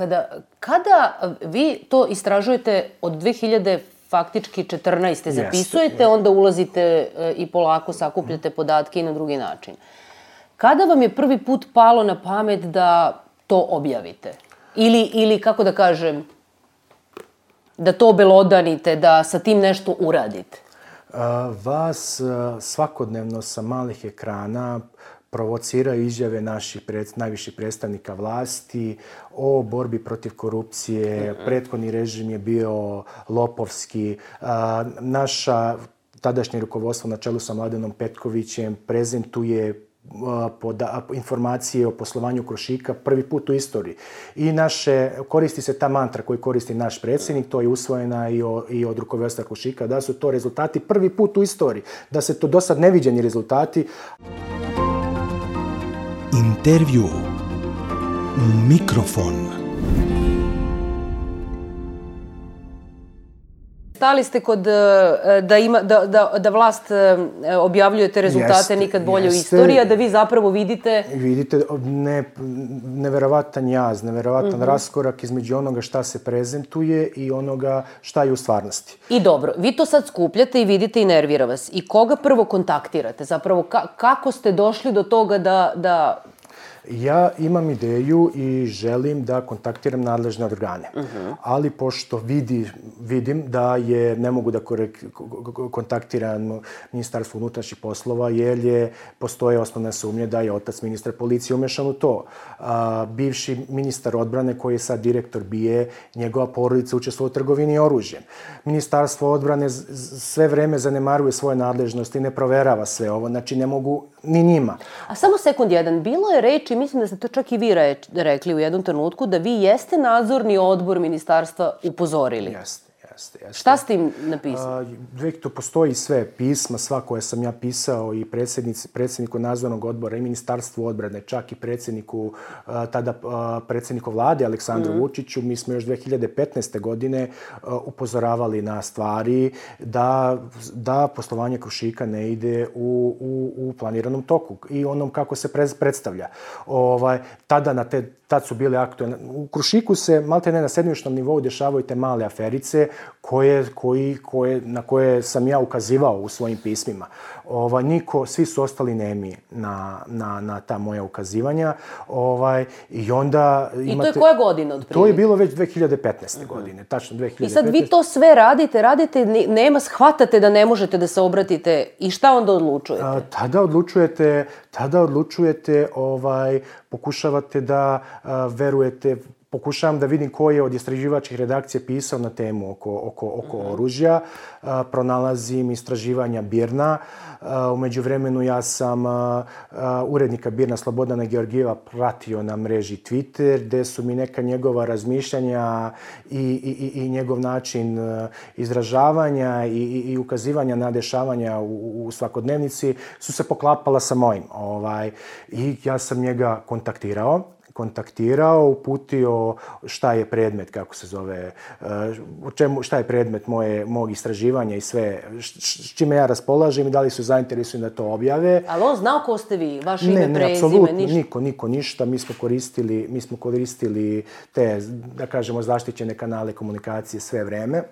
kada vi to istražujete od 2000 faktički 14. zapisujete, onda ulazite i polako sakupljate podatke i na drugi način. Kada vam je prvi put palo na pamet da to objavite? Ili kako da kažem, da to obelodanite, da sa tim nešto uradite? Vas svakodnevno sa malih ekrana provociraju izjave naših najviših predstavnika vlasti o borbi protiv korupcije. Prethodni režim je bio lopovski. Naša tadašnje rukovodstvo na čelu sa Mladenom Petkovićem prezentuje informacije o poslovanju Krušika prvi put u istoriji. I koristi se ta mantra koju koristi naš predsjednik, to je usvojena i od rukovodstva Krušika, da su to rezultati prvi put u istoriji, da se to dosad neviđeni rezultati. Intervju u mikrofon. Stali ste kod da vlast objavljuje te rezultate nikad bolje u istoriji, a da vi zapravo vidite... Vidite neverovatan jaz, neverovatan raskorak između onoga šta se prezentuje i onoga šta je u stvarnosti. I dobro, vi to sad skupljate i vidite i nervira vas. I koga prvo kontaktirate? Zapravo, kako ste došli do toga da... Ja imam ideju i želim da kontaktiram nadležne organe. Ali pošto vidim da ne mogu da kontaktiram Ministarstvo unutrašnjih poslova, jer postoje osnovne sumnje da je otac ministra policije umešan u to. Bivši ministar odbrane, koji je sad direktor BIA, njegova porodica učestvuje u trgovini oružjem. Ministarstvo odbrane sve vreme zanemaruje svoje nadležnosti i ne proverava sve ovo. Znači, ne mogu ni njima. A samo sekund jedan, bilo je reči, mislim da ste to čak i vi rekli u jednom trenutku, da vi jeste nadzorni odbor ministarstva upozorili. Jeste. Šta ste im napisali? Tu postoji sve pisma, sva koje sam ja pisao i predsjedniku nadzornog odbora i Ministarstvu odbrane, čak i tada predsjedniku vlade Aleksandru Vučiću. Mi smo još 2015. godine upozoravali na stvari da poslovanje Krušika ne ide u planiranom toku i onom kako se predstavlja. Tad su bile aktualne. U Krušiku se maltene na sedmičnom nivou dešavaju te male aferice na koje sam ja ukazivao u svojim pismima. Svi su ostali nemi na ta moja ukazivanja. I onda I to je koja godina otprilike? To je bilo već 2015. godine, tačno 2015. I sad vi to sve radite, shvatate da ne možete da se obratite i šta onda odlučujete? Tada odlučujete, pokušavate da verujete, pokušavam da vidim ko je od istraživačkih redakcija pisao na temu oko oružja. Pronalazim istraživanja BIRN-a. U međuvremenu ja sam urednika BIRN-a Slobodana Georgijeva pratio na mreži Twitter, gde su mi neka njegova razmišljanja i njegov način izražavanja i ukazivanja na dešavanja u svakodnevnici su se poklapala sa mojim. I ja sam njega kontaktirao, uputio šta je predmet, kako se zove, šta je predmet mog istraživanja i sve, s čime ja raspolažem i da li su zainteresovani da to objave. Ali on znao ko ste vi, vaše ime, prezime, ništa? Ne, apsolutno, niko ništa. Mi smo koristili te, da kažemo, zaštićene kanale komunikacije sve vreme.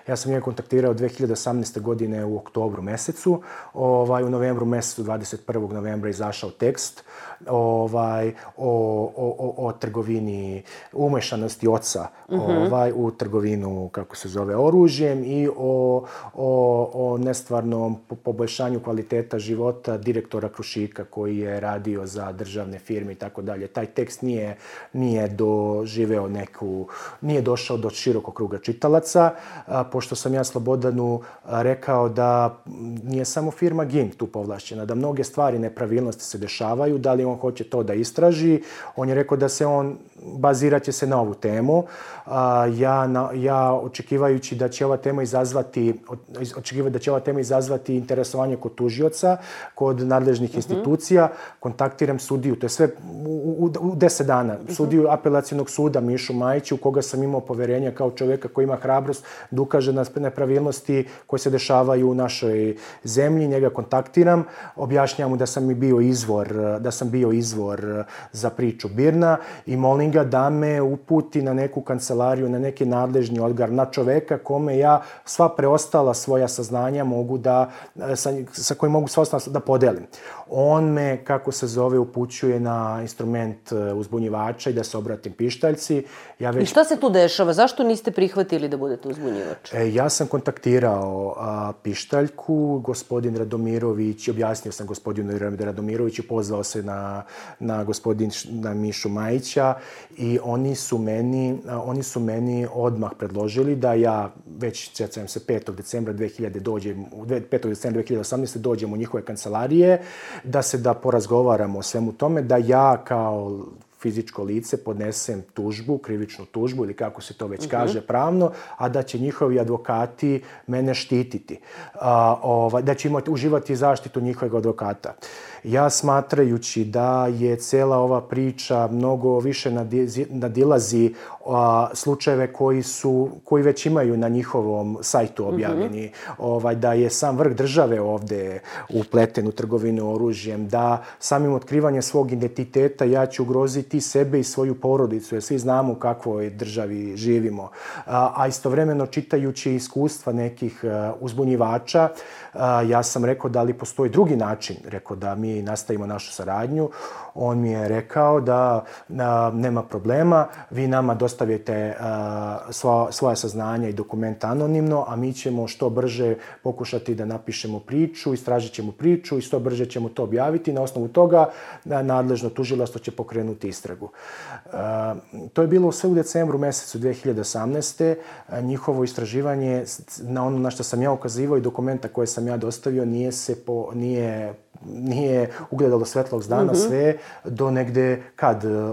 Ja sam njega kontaktirao 2018. godine u oktobru mesecu. U novembru mesecu, 21. novembra, izašao tekst o trgovini, umešanosti oca u trgovinu, kako se zove, oružjem i o nestvarnom poboljšanju kvaliteta života direktora Krušika koji je radio za državne firme i tako dalje. Taj tekst nije doživeo nije došao do širokog kruga čitalaca, pošto sam ja Slobodanu rekao da nije samo firma GIM tu povlašćena, da mnoge stvari, nepravilnosti se dešavaju, da li on hoće to da istraži. On je rekao da se on bazirat će se na ovu temu. Ja očekivajući da će ova tema izazvati interesovanje kod tužioca, kod nadležnih institucija, kontaktiram sudiju, to je sve u 10 dana, sudiju apelacionog suda Mišu Majića, u koga sam imao poverenja kao čovjeka koji ima hrabrost da ukaže na nepravilnosti koje se dešavaju u našoj zemlji. Njega kontaktiram, objašnjam mu da sam bio izvor za priču BIRN-a i molim ga da me uputi na neku kancelariju, na neki nadležni organ, na čoveka kome ja sva preostala svoja saznanja sa kojim mogu sva ostala da podelim. On me, kako se zove, upućuje na instrument uzbunjivača i da se obratim pištaljci. I šta se tu dešava? Zašto niste prihvatili da budete uzbunjivač? Ja sam kontaktirao pištaljku, gospodin Radomirović, objasnio sam gospodinu Radomiroviću, pozvao se na gospodina Mišu Majića i oni su meni odmah predložili da ja već, sjećam se, 5. decembra 2018. dođem u njihove kancelarije, da porazgovaramo o svemu tome, da ja kao fizičko lice podnesem tužbu, krivičnu tužbu ili kako se to već kaže pravno, a da će njihovi advokati mene štititi. Da će uživati zaštitu njihovog advokata. Ja, smatrajući da je cela ova priča mnogo više nadilazi slučajeve koji već imaju na njihovom sajtu objavljeni, da je sam vrh države ovde upleten u trgovinu oružjem, da samim otkrivanjem svog identiteta ja ću ugroziti sebe i svoju porodicu, jer svi znamo u kakvoj državi živimo. A istovremeno, čitajući iskustva nekih uzbunjivača, ja sam rekao da li postoji drugi način, rekao da mi nastavimo našu saradnju. On mi je rekao da nema problema, vi nama dostavite svoja saznanja i dokumenta anonimno, a mi ćemo što brže pokušati da napišemo priču, istražit ćemo priču i što brže ćemo to objaviti. Na osnovu toga nadležno tužilaštvo će pokrenuti istragu. To je bilo sve u decembru mesecu 2018. Njihovo istraživanje, na ono na što sam ja ukazivao i dokumenta koje sam ja dostavio, nije ugledalo svetlog dana sve do negde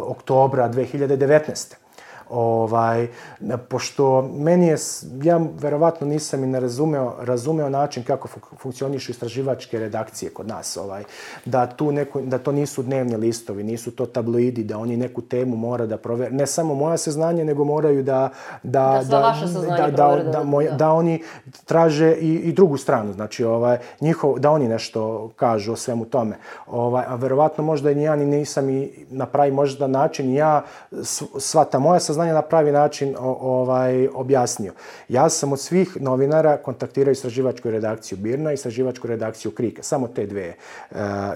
oktobra 2019. Pošto ja verovatno nisam i ne razumeo način kako funkcionišu istraživačke redakcije kod nas. Da to nisu dnevni listovi, nisu to tabloidi, da oni neku temu mora da provere. Ne samo moja saznanja, nego moraju da oni traže i drugu stranu. Znači, da oni nešto kažu o svemu tome. A verovatno možda i ja nisam i na pravi možda način ja sva ta moja saznanja na pravi način objasnio. Ja sam od svih novinara kontaktirao istraživačku redakciju BIRN-a i istraživačku redakciju KRIK-a.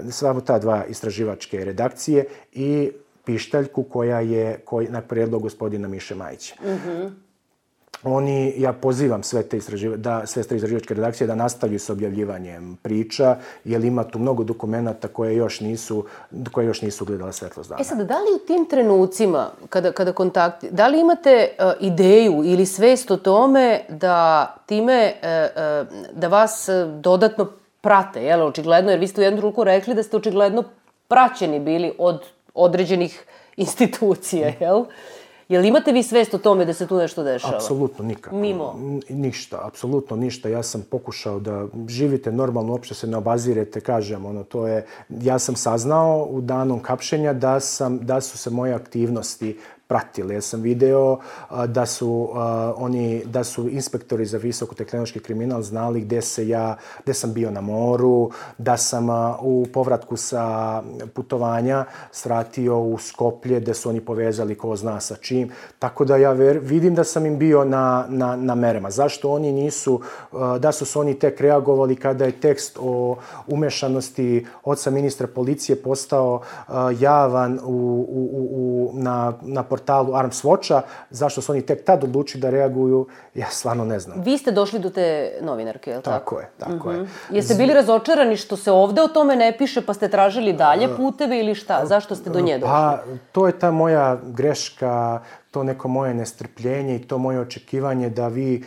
Samo ta dva istraživačke redakcije i pištaljku koja je na predlog gospodina Miše Majića. Ja pozivam sve te istraživačke redakcije da nastavljaju s objavljivanjem priča, jer ima tu mnogo dokumenata koje još nisu ugledale svetlost dana. Sad, da li u tim trenucima, kada da li imate ideju ili svest o tome da vas dodatno prate, očigledno, jer vi ste u jednom trenutku rekli da ste očigledno praćeni bili od određenih institucija, jel? Jel imate vi svest o tome da se tu nešto dešava? Apsolutno nikako. Mimo? Ništa, apsolutno ništa. Ja sam pokušao da živite normalno, uopšte se ne obazirete, kažem, ja sam saznao u danom hapšenja da su se moje aktivnosti pratili. Ja sam video da su inspektori za visokotehnološki kriminal znali gde sam bio na moru, da sam u povratku sa putovanja svratio u Skoplje, gde su oni povezali ko zna sa čim. Tako da ja vidim da sam im bio na merama. Zašto oni nisu, da su oni tek reagovali kada je tekst o umešanosti oca ministra policije postao javan na portalu Arms Watcha, zašto su oni tek tad odlučili da reaguju, ja stvarno ne znam. Vi ste došli do te novinarke, je li tako? Tako je. Jeste bili razočarani što se ovde o tome ne piše, pa ste tražili dalje puteve ili šta? Zašto ste do nje došli? Pa, to je ta moja greška, to neko moje nestrpljenje i to moje očekivanje da vi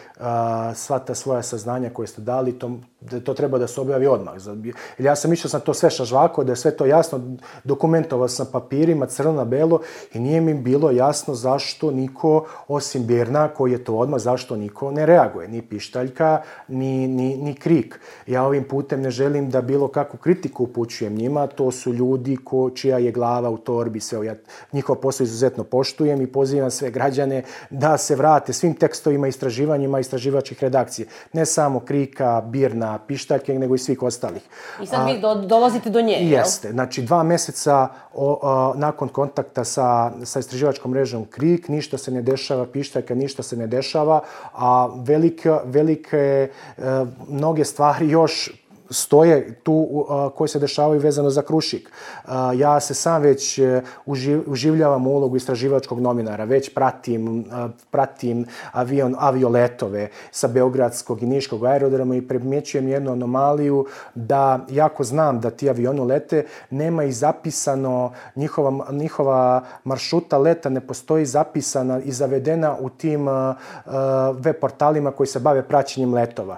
sva ta svoja saznanja koje ste dali, to treba da se objavi odmah. Ja sam mislio sam to sve šažvako, da je sve to jasno, dokumentovao sam papirima, crno na belo i nije mi bilo jasno zašto niko, osim Birna koji je to odmah, zašto niko ne reaguje. Ni Pištaljka, ni Krik. Ja ovim putem ne želim da bilo kakvu kritiku upućujem njima, to su ljudi čija je glava u torbi, sve. Ja njihov posao izuzetno poštujem i pozivam sve građane da se vrate svim tekstovima, istraživanjima istraživačkih redakcije. Ne samo Krika, Birna, Pištaljke, nego i svih ostalih. I sad vi dolazite do nje, jel? Jeste. Znači, 2 meseca nakon kontakta sa istraživačkom mrežom Krik, ništa se ne dešava, Pištaljka, ništa se ne dešava, a velike, mnoge stvari još stoje tu koje se dešavaju vezano za Krušik. Ja se sam već uživljavam u ulogu istraživačkog novinara, već pratim avioletove sa Beogradskog i Niškog aerodroma i primjećujem jednu anomaliju da, jako znam da ti avioni lete, nema i zapisano, njihova maršruta leta ne postoji zapisana i zavedena u tim web portalima koji se bave praćenjem letova.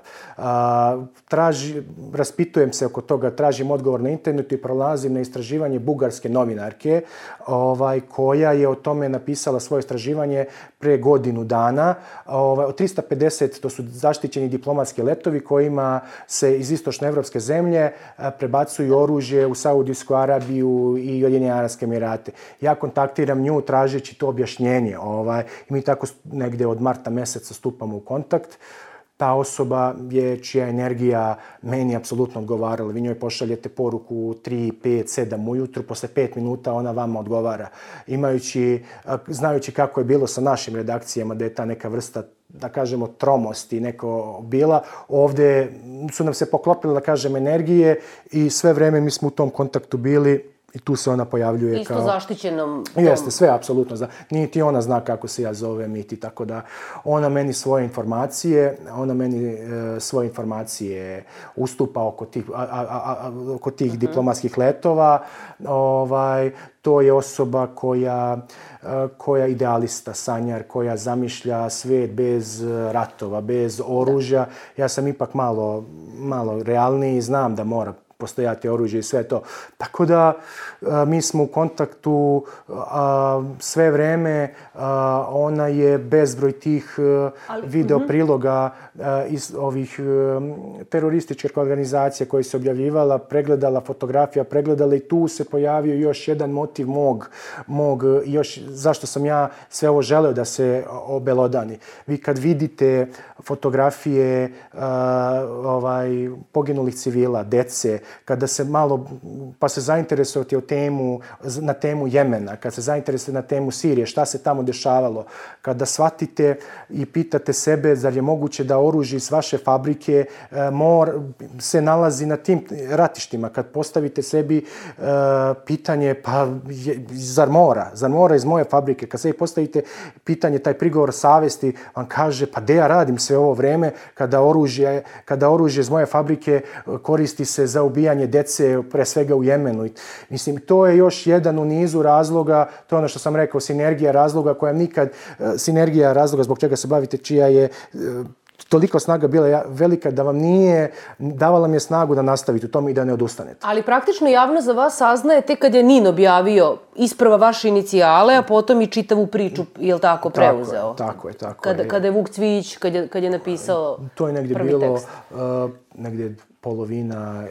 Raspitujem se oko toga, tražim odgovor na internetu i prolazim na istraživanje bugarske novinarke koja je o tome napisala svoje istraživanje pre godinu dana. Od 350, to su zaštićeni diplomatski letovi kojima se iz istočnoevropske zemlje prebacuju oružje u Saudijsku Arabiju i Ujedinjene Arapske Emirate. Ja kontaktiram nju tražeći to objašnjenje. I mi tako negde od marta meseca stupamo u kontakt. Ta osoba čija energija meni apsolutno odgovarala. Vi njoj pošaljete poruku 3, 5, 7 ujutru, posle 5 minuta ona vama odgovara. Znajući kako je bilo sa našim redakcijama, da je ta neka vrsta, da kažemo, tromosti neko bila, ovde su nam se poklopile, da kažem, energije i sve vreme mi smo u tom kontaktu bili. I tu se ona pojavljuje isto zaštićenom... Jeste, sve apsolutno zna. Niti ona zna kako se ja zovem, niti tako da ona meni svoje informacije ustupa oko tih diplomatskih letova. To je osoba koja idealista, sanjar, koja zamišlja svet bez ratova, bez oružja. Ja sam ipak malo realniji i znam da mora postojati oružje i sve to. Tako da mi smo u kontaktu sve vreme. Ona je bezbroj tih video priloga iz ovih terorističkih organizacija koje se objavljivala, pregledala fotografija, pregledala i tu se pojavio još jedan motiv mog zašto sam ja sve ovo želeo da se obelodani. Vi kad vidite fotografije poginulih civila, dece, kada se malo, pa se zainteresujete na temu Jemena, kad se zainteresujete na temu Sirije, šta se tamo dešavalo, kada shvatite i pitate sebe zar je moguće da oružje iz vaše fabrike se nalazi na tim ratištima, kad postavite sebi pitanje, pa zar mora iz moje fabrike, kad sebi postavite pitanje, taj prigovor savesti vam kaže, pa gde ja radim sve ovo vreme kada oružje iz moje fabrike koristi se za ubijanje dece, pre svega u Jemenu. Mislim, to je još jedan u nizu razloga, to je ono što sam rekao, sinergija razloga zbog čega se bavite, čija je toliko snaga bila velika da vam davala mi je snagu da nastavite u tom i da ne odustanete. Ali praktično javnost za vas saznaje tek kad je Nin objavio isprva vaše inicijale, a potom i čitavu priču, je li tako, preuzeo? Tako je. Kada je Vuk Cvijić, kad je napisao prvi tekst. To je negdje bilo, negdje polovina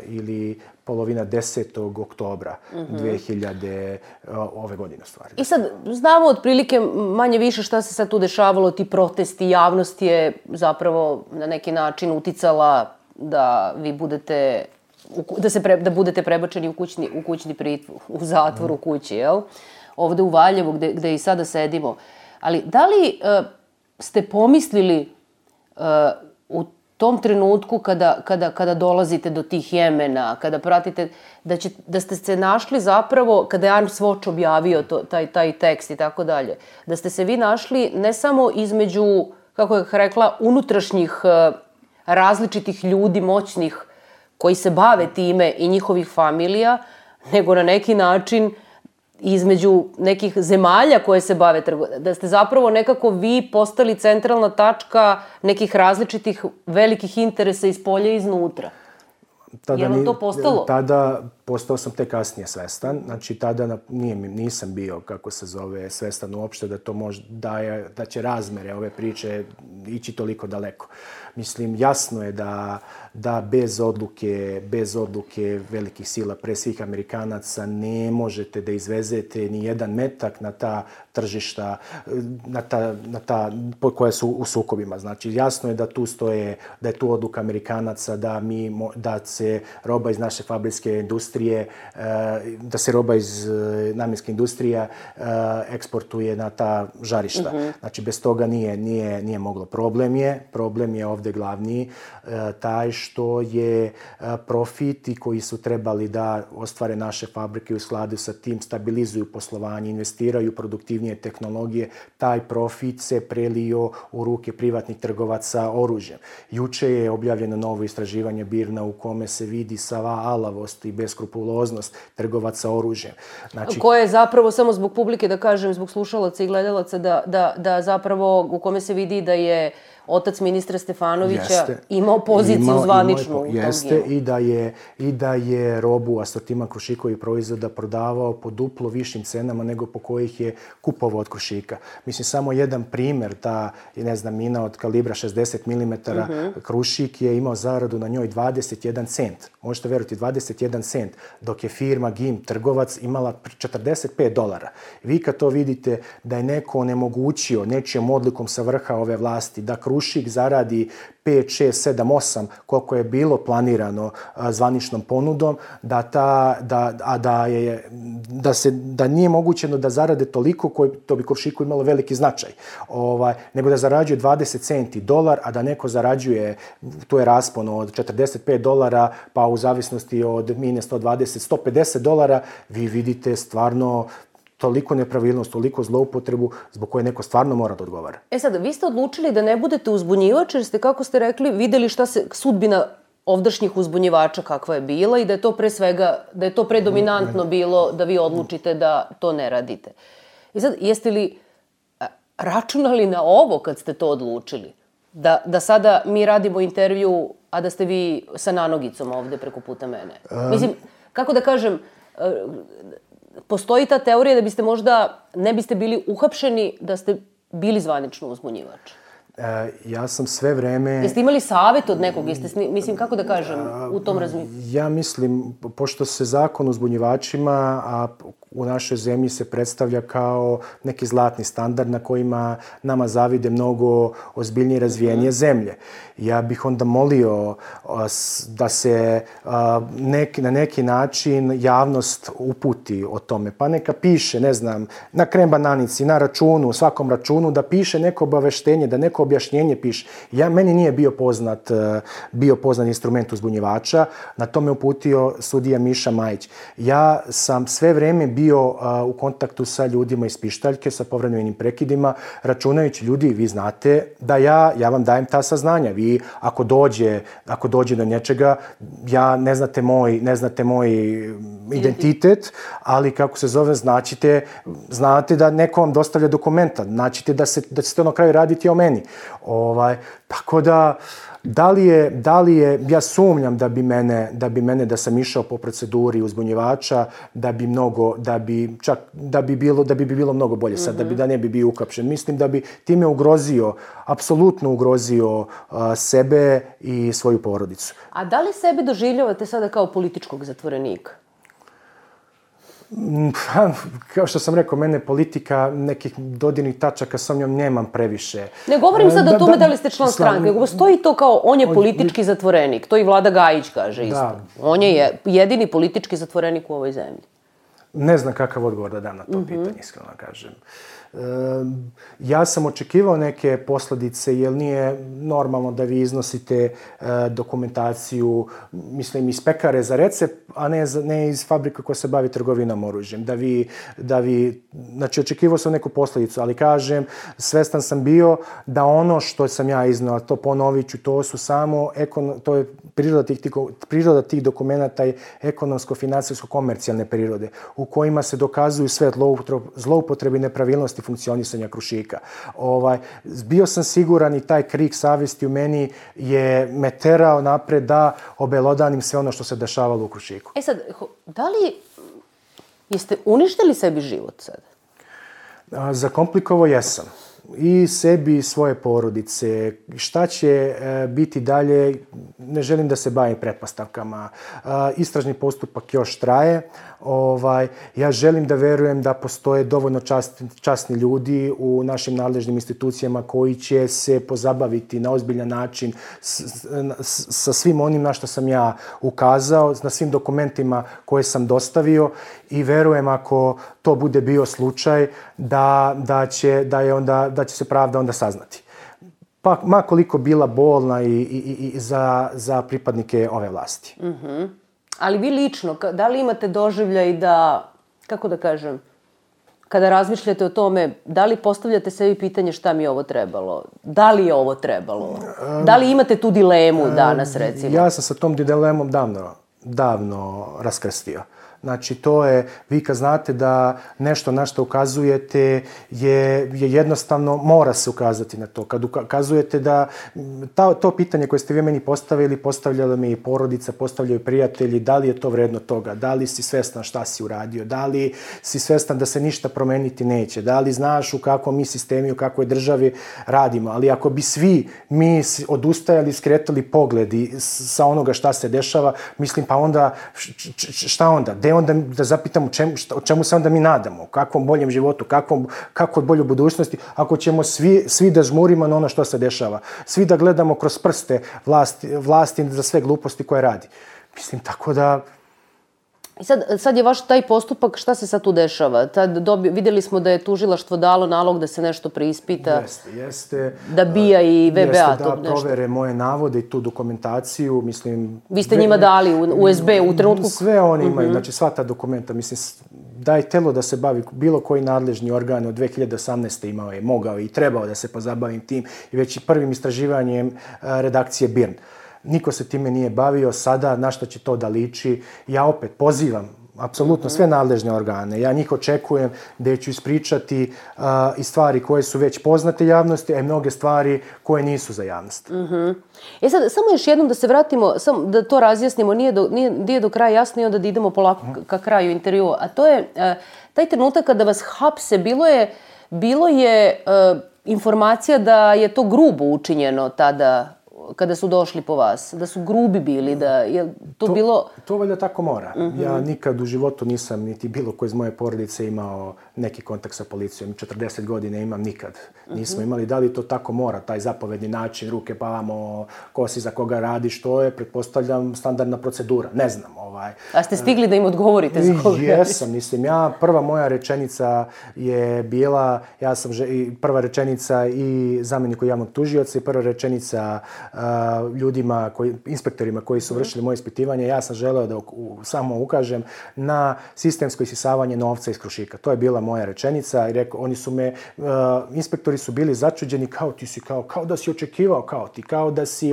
10. oktobra 2000 ove godine stvari. I sad znamo otprilike manje više šta se sad tu dešavalo, ti protesti, javnost je zapravo na neki način uticala da vi budete, da budete prebačeni u kućni pritvor, u zatvor u kući, jel? Ovde u Valjevu gde i sada sedimo. Ali da li ste pomislili u tom trenutku kada dolazite do tih Jemena, kada pratite, da ste se našli zapravo, kada je Arms Watch objavio taj tekst i tako dalje, da ste se vi našli ne samo između, kako je rekla, unutrašnjih različitih ljudi, moćnih, koji se bave time i njihovih familija, nego na neki način između nekih zemalja koje se bave trgovinom, da ste zapravo nekako vi postali centralna tačka nekih različitih velikih interesa iz polja i iznutra. Je li to postalo? Tada postao sam tek kasnije svestan. Znači, tada nisam bio, kako se zove, svestan uopšte da to da će razmere ove priče ići toliko daleko. Mislim, jasno je da bez odluke velikih sila, pre svih Amerikanaca, ne možete da izvezete ni jedan metak na ta tržišta, koja su u sukobima. Znači, jasno je da je tu odluka Amerikanaca da se roba iz naše fabrijske industrije, da se roba iz namjenske industrije eksportuje na ta žarišta. Znači, bez toga nije moglo. Problem je ovde glavni taj što je profiti koji su trebali da ostvare naše fabrike u skladu sa tim, stabilizuju poslovanje, investiraju produktivnije tehnologije, taj profit se prelio u ruke privatnih trgovaca oružjem. Juče je objavljeno novo istraživanje BIRN-a u kome se vidi sva alavost i beskrupuloznost trgovaca oružjem. Znači, koje je zapravo, samo zbog publike da kažem, zbog slušalaca i gledalaca, da zapravo u kome se vidi da je otac ministra Stefanovića imao poziciju zvaničnu u tom dijelu. Jeste, i da je robu, asortiman Krušikovih proizvoda prodavao po duplo višim cenama nego po kojih je kupovao od Krušika. Mislim, samo jedan primer, ta, ne znam, mina od kalibra 60 mm, Krušik je imao zaradu na njoj 21 cent. Možete verovati, 21 cent, dok je firma GIM, trgovac, imala $45. Vi kad to vidite da je neko onemogućio nečijom odlukom sa vrha ove vlasti, da Krušik zaradi 5, 6, 7, 8, koliko je bilo planirano zvaničnom ponudom, da nije mogućeno da zarade toliko, to bi Krušiku imalo veliki značaj, nego da zarađuje 20 centi dolar, a da neko zarađuje, tu je raspon od $45, pa u zavisnosti od mine 120, $150, vi vidite stvarno toliko nepravilnost, toliko zloupotrebu zbog koje neko stvarno mora da odgovara. Sad, vi ste odlučili da ne budete uzbunjivač, jer ste, kako ste rekli, videli šta se sudbina ovdašnjih uzbunjivača kakva je bila i da je to pre svega, da je to predominantno bilo da vi odlučite da to ne radite. I sad, jeste li računali na ovo kad ste to odlučili? Da sada mi radimo intervju, a da ste vi sa nanogicom ovde preko puta mene? Mislim, kako da kažem, postoji ta teorija da biste možda ne biste bili uhapšeni da ste bili zvanično uzbunjivač. Ja sam sve vreme... Jeste imali savjet od nekog? Mislim, kako da kažem, u tom razmišljanju? Ja mislim, pošto se zakon o uzbunjivačima, a u našoj zemlji se predstavlja kao neki zlatni standard na kojima nama zavide mnogo ozbiljnije razvijenije zemlje. Ja bih onda molio da se na neki način javnost uputi o tome. Pa neka piše, ne znam, na krem bananici, na računu, u svakom računu, da piše neko obaveštenje, da neko objašnjenje piše. Meni nije bio poznat instrument uzbunjivača, na to me uputio sudija Miša Majić. Ja sam sve vreme bio u kontaktu sa ljudima iz pištaljke, sa povremenim prekidima, računajući, ljudi, vi znate da ja vam dajem ta saznanja. Vi, ako dođe do nečega, ne znate moj identitet, ali kako se zove, znate da neko vam dostavlja dokumenta, značite da će to na kraju raditi o meni. Tako da, Da li je, ja sumnjam da bi mene da sam išao po proceduri uzbunjivača, da bi bilo mnogo bolje sad, da ne bi bio uhapšen. Mislim da bi time apsolutno ugrozio sebe i svoju porodicu. A da li sebe doživljavate sada kao političkog zatvorenika? Kao što sam rekao, mene politika, nekih dodirnih tačaka sa njom nemam previše. Ne govorim sad o tome da li ste član stranke, nego postoji to kao on je politički zatvorenik. To i Vlada Gajić kaže isto. On je jedini politički zatvorenik u ovoj zemlji. Ne znam kakav odgovor da dam na to pitanje, iskreno kažem. Ja sam očekivao neke posljedice, jer nije normalno da vi iznosite dokumentaciju, mislim, iz pekare za recept, a ne iz fabrika koja se bavi trgovinom oružjem. Znači, očekivao sam neku posljedicu, ali kažem, svestan sam bio da ono što sam ja iznao, to ponovit ću, to je priroda tih dokumenta je ekonomsko-financijsko-komercijalne prirode, u kojima se dokazuju sve zloupotrebe i nepravilnosti funkcionisanja Krušika. Bio sam siguran i taj krik savjesti u meni je me terao napred da obelodanim sve ono što se dešavalo u Krušiku. Sad, jeste uništili sebi život sad? Zakomplikovao jesam. I sebi i svoje porodice. Šta će biti dalje, ne želim da se bavim pretpostavkama. Istražni postupak još traje. Ja želim da verujem da postoje dovoljno časni ljudi u našim nadležnim institucijama koji će se pozabaviti na ozbiljan način sa svim onim na što sam ja ukazao, na svim dokumentima koje sam dostavio i verujem ako to bude bio slučaj da će se pravda onda saznati. Pa ma koliko bila bolna i za pripadnike ove vlasti. Ali vi lično, da li imate doživljaj da, kako da kažem, kada razmišljate o tome, da li postavljate sebi pitanje šta mi je ovo trebalo? Da li je ovo trebalo? Da li imate tu dilemu danas, recimo? Ja sam sa tom dilemom davno raskrstio. Znači, to je, vi kad znate da nešto na što ukazujete je jednostavno, mora se ukazati na to. Kad ukazujete da to pitanje koje ste vi meni postavili, postavljala mi i porodica, postavljaju prijatelji, da li je to vredno toga, da li si svestan šta si uradio, da li si svestan da se ništa promeniti neće, da li znaš u kakvom mi sistemi, u kakvoj državi radimo. Ali ako bi svi mi odustajali, skretali pogledi sa onoga šta se dešava, mislim, pa onda, šta onda? Onda da zapitam o čemu se onda mi nadamo, u kakvom boljem životu, kakvoj boljoj budućnosti, ako ćemo svi da žmurimo na ono što se dešava, svi da gledamo kroz prste vlasti za sve gluposti koje radi. Mislim, tako da... I sad je vaš taj postupak, šta se sad tu dešava? Vidjeli smo da je tužilaštvo dalo nalog da se nešto preispita. Jeste. Da BIA i VBA jeste, to da nešto. provere moje navode i tu dokumentaciju, mislim... Vi ste njima dali u USB u trenutku... Sve oni imaju, znači sva ta dokumenta, mislim, da je telo da se bavi bilo koji nadležni organ od 2018. imao je, mogao i trebao da se pozabavim tim i već i prvim istraživanjem redakcije BIRN. Niko se time nije bavio, sada na što će to da liči. Ja opet pozivam apsolutno sve nadležne organe. Ja njih očekujem da ću ispričati i stvari koje su već poznate javnosti, a i mnoge stvari koje nisu za javnost. Sad, samo još jednom da se vratimo, da to razjasnimo, nije do kraja jasno i onda da idemo polako ka kraju intervjua. A to je taj trenutak kada vas hapse, bilo je informacija da je to grubo učinjeno tada kada su došli po vas, da su grubi bili, da je to bilo... To valjda tako mora. Ja nikad u životu nisam, niti bilo ko iz moje porodice imao neki kontakt sa policijom. 40 godina imam, nikad nismo imali. Da li to tako mora, taj zapovedni način, ruke pa vamo, ko si za koga radiš, to je, pretpostavljam, standardna procedura. Ne znam. A ste stigli da im odgovorite za koga radiš? Jesam, mislim. Prva moja rečenica je bila, prva rečenica i zamjeniku javnog tužioca i prva rečenica ljudima, inspektorima koji su vršili moje ispitivanje, ja sam želeo da samo ukažem na sistemsko isisavanje novca iz Krušika. To je bila moja rečenica i rekao, inspektori su bili začuđeni kao da si očekivao kao ti, kao da si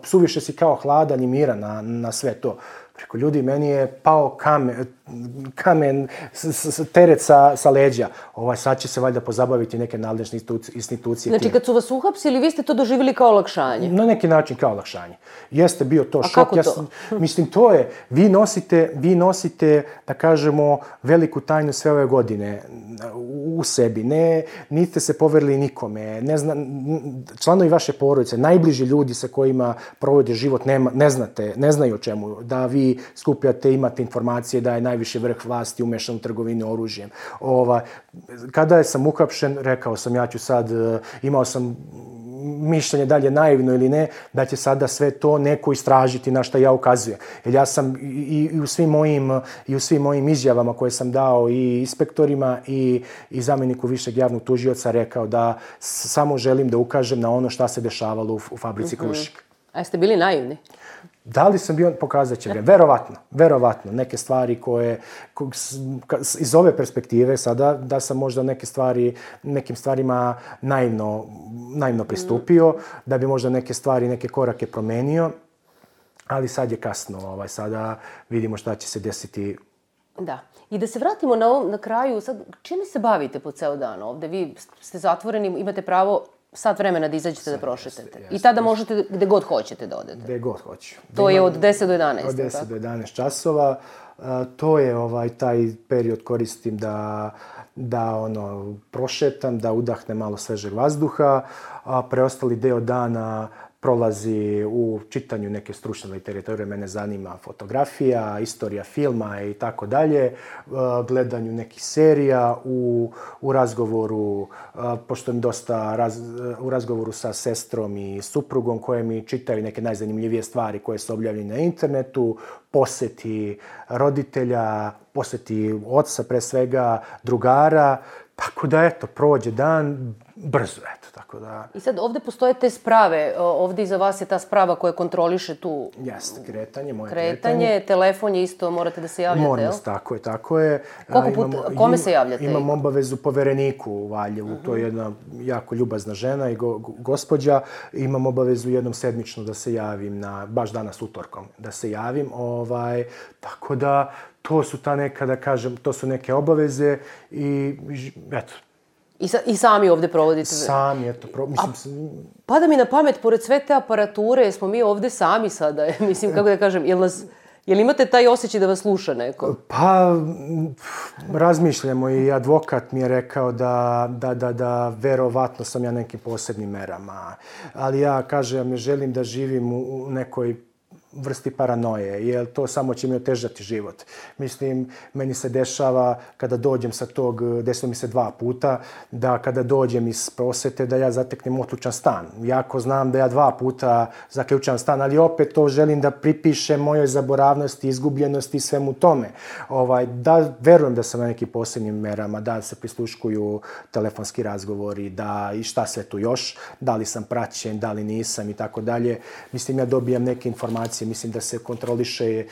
suviše si kao hladan i miran na sve to. Preko ljudi, meni je pao kamen teret sa leđa. Sad će se valjda pozabaviti neke nadležne institucije. Znači, kad su vas uhapsili, vi ste to doživjeli kao olakšanje? Na neki način kao olakšanje. Jeste bio to šok. A kako to? Mislim, to je, vi nosite, da kažemo, veliku tajnu sve ove godine u sebi. Niste se poverili nikome. Članovi vaše porodice, najbliži ljudi sa kojima provode život, ne znaju o čemu. Da vi skupljate, imate informacije da je najviši vrh vlasti umešan u trgovinu oružjem. Kada sam uhapšen, rekao sam, ja ću sad, imao sam mišljenje da li je naivno ili ne, da će sada sve to neko istražiti na što ja ukazujem. Jer ja sam i u svim mojim izjavama koje sam dao i inspektorima i zamjeniku višeg javnog tužioca rekao da samo želim da ukažem na ono šta se dešavalo u fabrici Krušik. A jeste bili naivni? Da li sam bio, pokazat će vrijeme. Verovatno. Neke stvari koje, iz ove perspektive sada, da sam možda nekim stvarima naivno pristupio, da bi možda neke stvari, neke korake promenio, ali sad je kasno. Sada vidimo šta će se desiti. Da. I da se vratimo na kraju, sad, čime se bavite po ceo dan ovde? Vi ste zatvoreni, imate pravo sat vremena da izađete da prošetate. I tada možete gde god hoćete da odete. Gde god hoću. To je od 10 do 11. Od 10 do 11 časova. To je taj period koristim da prošetam, da udahnem malo svežeg vazduha, a preostali deo dana prolazi u čitanju neke stručne literature, mene zanima fotografija, istorija filma i tako dalje, gledanju nekih serija, u razgovoru, pošto im dosta u razgovoru sa sestrom i suprugom koje mi čitaju neke najzanimljivije stvari koje su objavljene na internetu, poseti roditelja, poseti oca pre svega, drugara, tako da prođe dan brzo, tako da... I sad ovde postoje te sprave, ovde iza vas je ta sprava koja kontroliše tu... Jeste, moje kretanje. Telefon je isto, morate da se javljate, jel? Tako je. Koliko puta, kome se javljate? Imam obavezu povereniku u Valjevu, to je jedna jako ljubazna žena i gospođa. Imam obavezu jednom sedmično da se javim, baš danas utorkom, da se javim, tako da to su ta neka, da kažem, to su neke obaveze i eto. I sami ovde provodite? Sami, mislim... Pada mi na pamet, pored sve te aparature, smo mi ovde sami sada, mislim, kako da kažem, jel imate taj osjećaj da vas sluša neko? Pa, razmišljamo i advokat mi je rekao da verovatno sam ja nekim posebnim merama, ali ja, kažem, ne želim da živim u nekoj vrsti paranoje, jer to samo će mi otežati život. Mislim, meni se dešava kada dođem sa tog, desilo mi se 2 puta, da kada dođem iz prosvete da ja zateknem otključan stan. Jako znam da ja 2 puta zaključam stan, ali opet to želim da pripišem mojoj zaboravnosti, izgubljenosti i svemu tome. Da verujem da sam na nekim posebnim merama, da se prisluškuju telefonski razgovori, da i šta sve tu još, da li sam praćen, da li nisam i tako dalje. Mislim, ja dobijam neke informacije, mislim da se kontroliše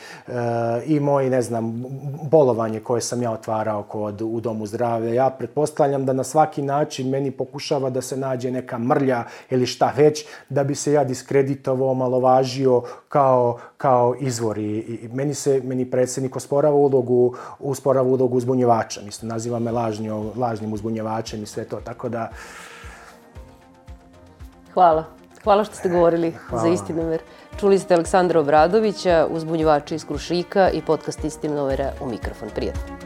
i moje, ne znam, bolovanje koje sam ja otvarao u Domu zdravlja. Ja pretpostavljam da na svaki način meni pokušava da se nađe neka mrlja ili šta već, da bi se ja diskreditovao, omalovažio kao izvor. I meni predsjednik usporava ulogu uzbunjivača. Mislim, naziva me lažnim uzbunjivačem i sve to, tako da... Hvala što ste govorili za Istinomer. Čuli ste Aleksandra Obradovića, uzbunjivača iz Krušika i podcast Istinomer u mikrofon. Prijatno.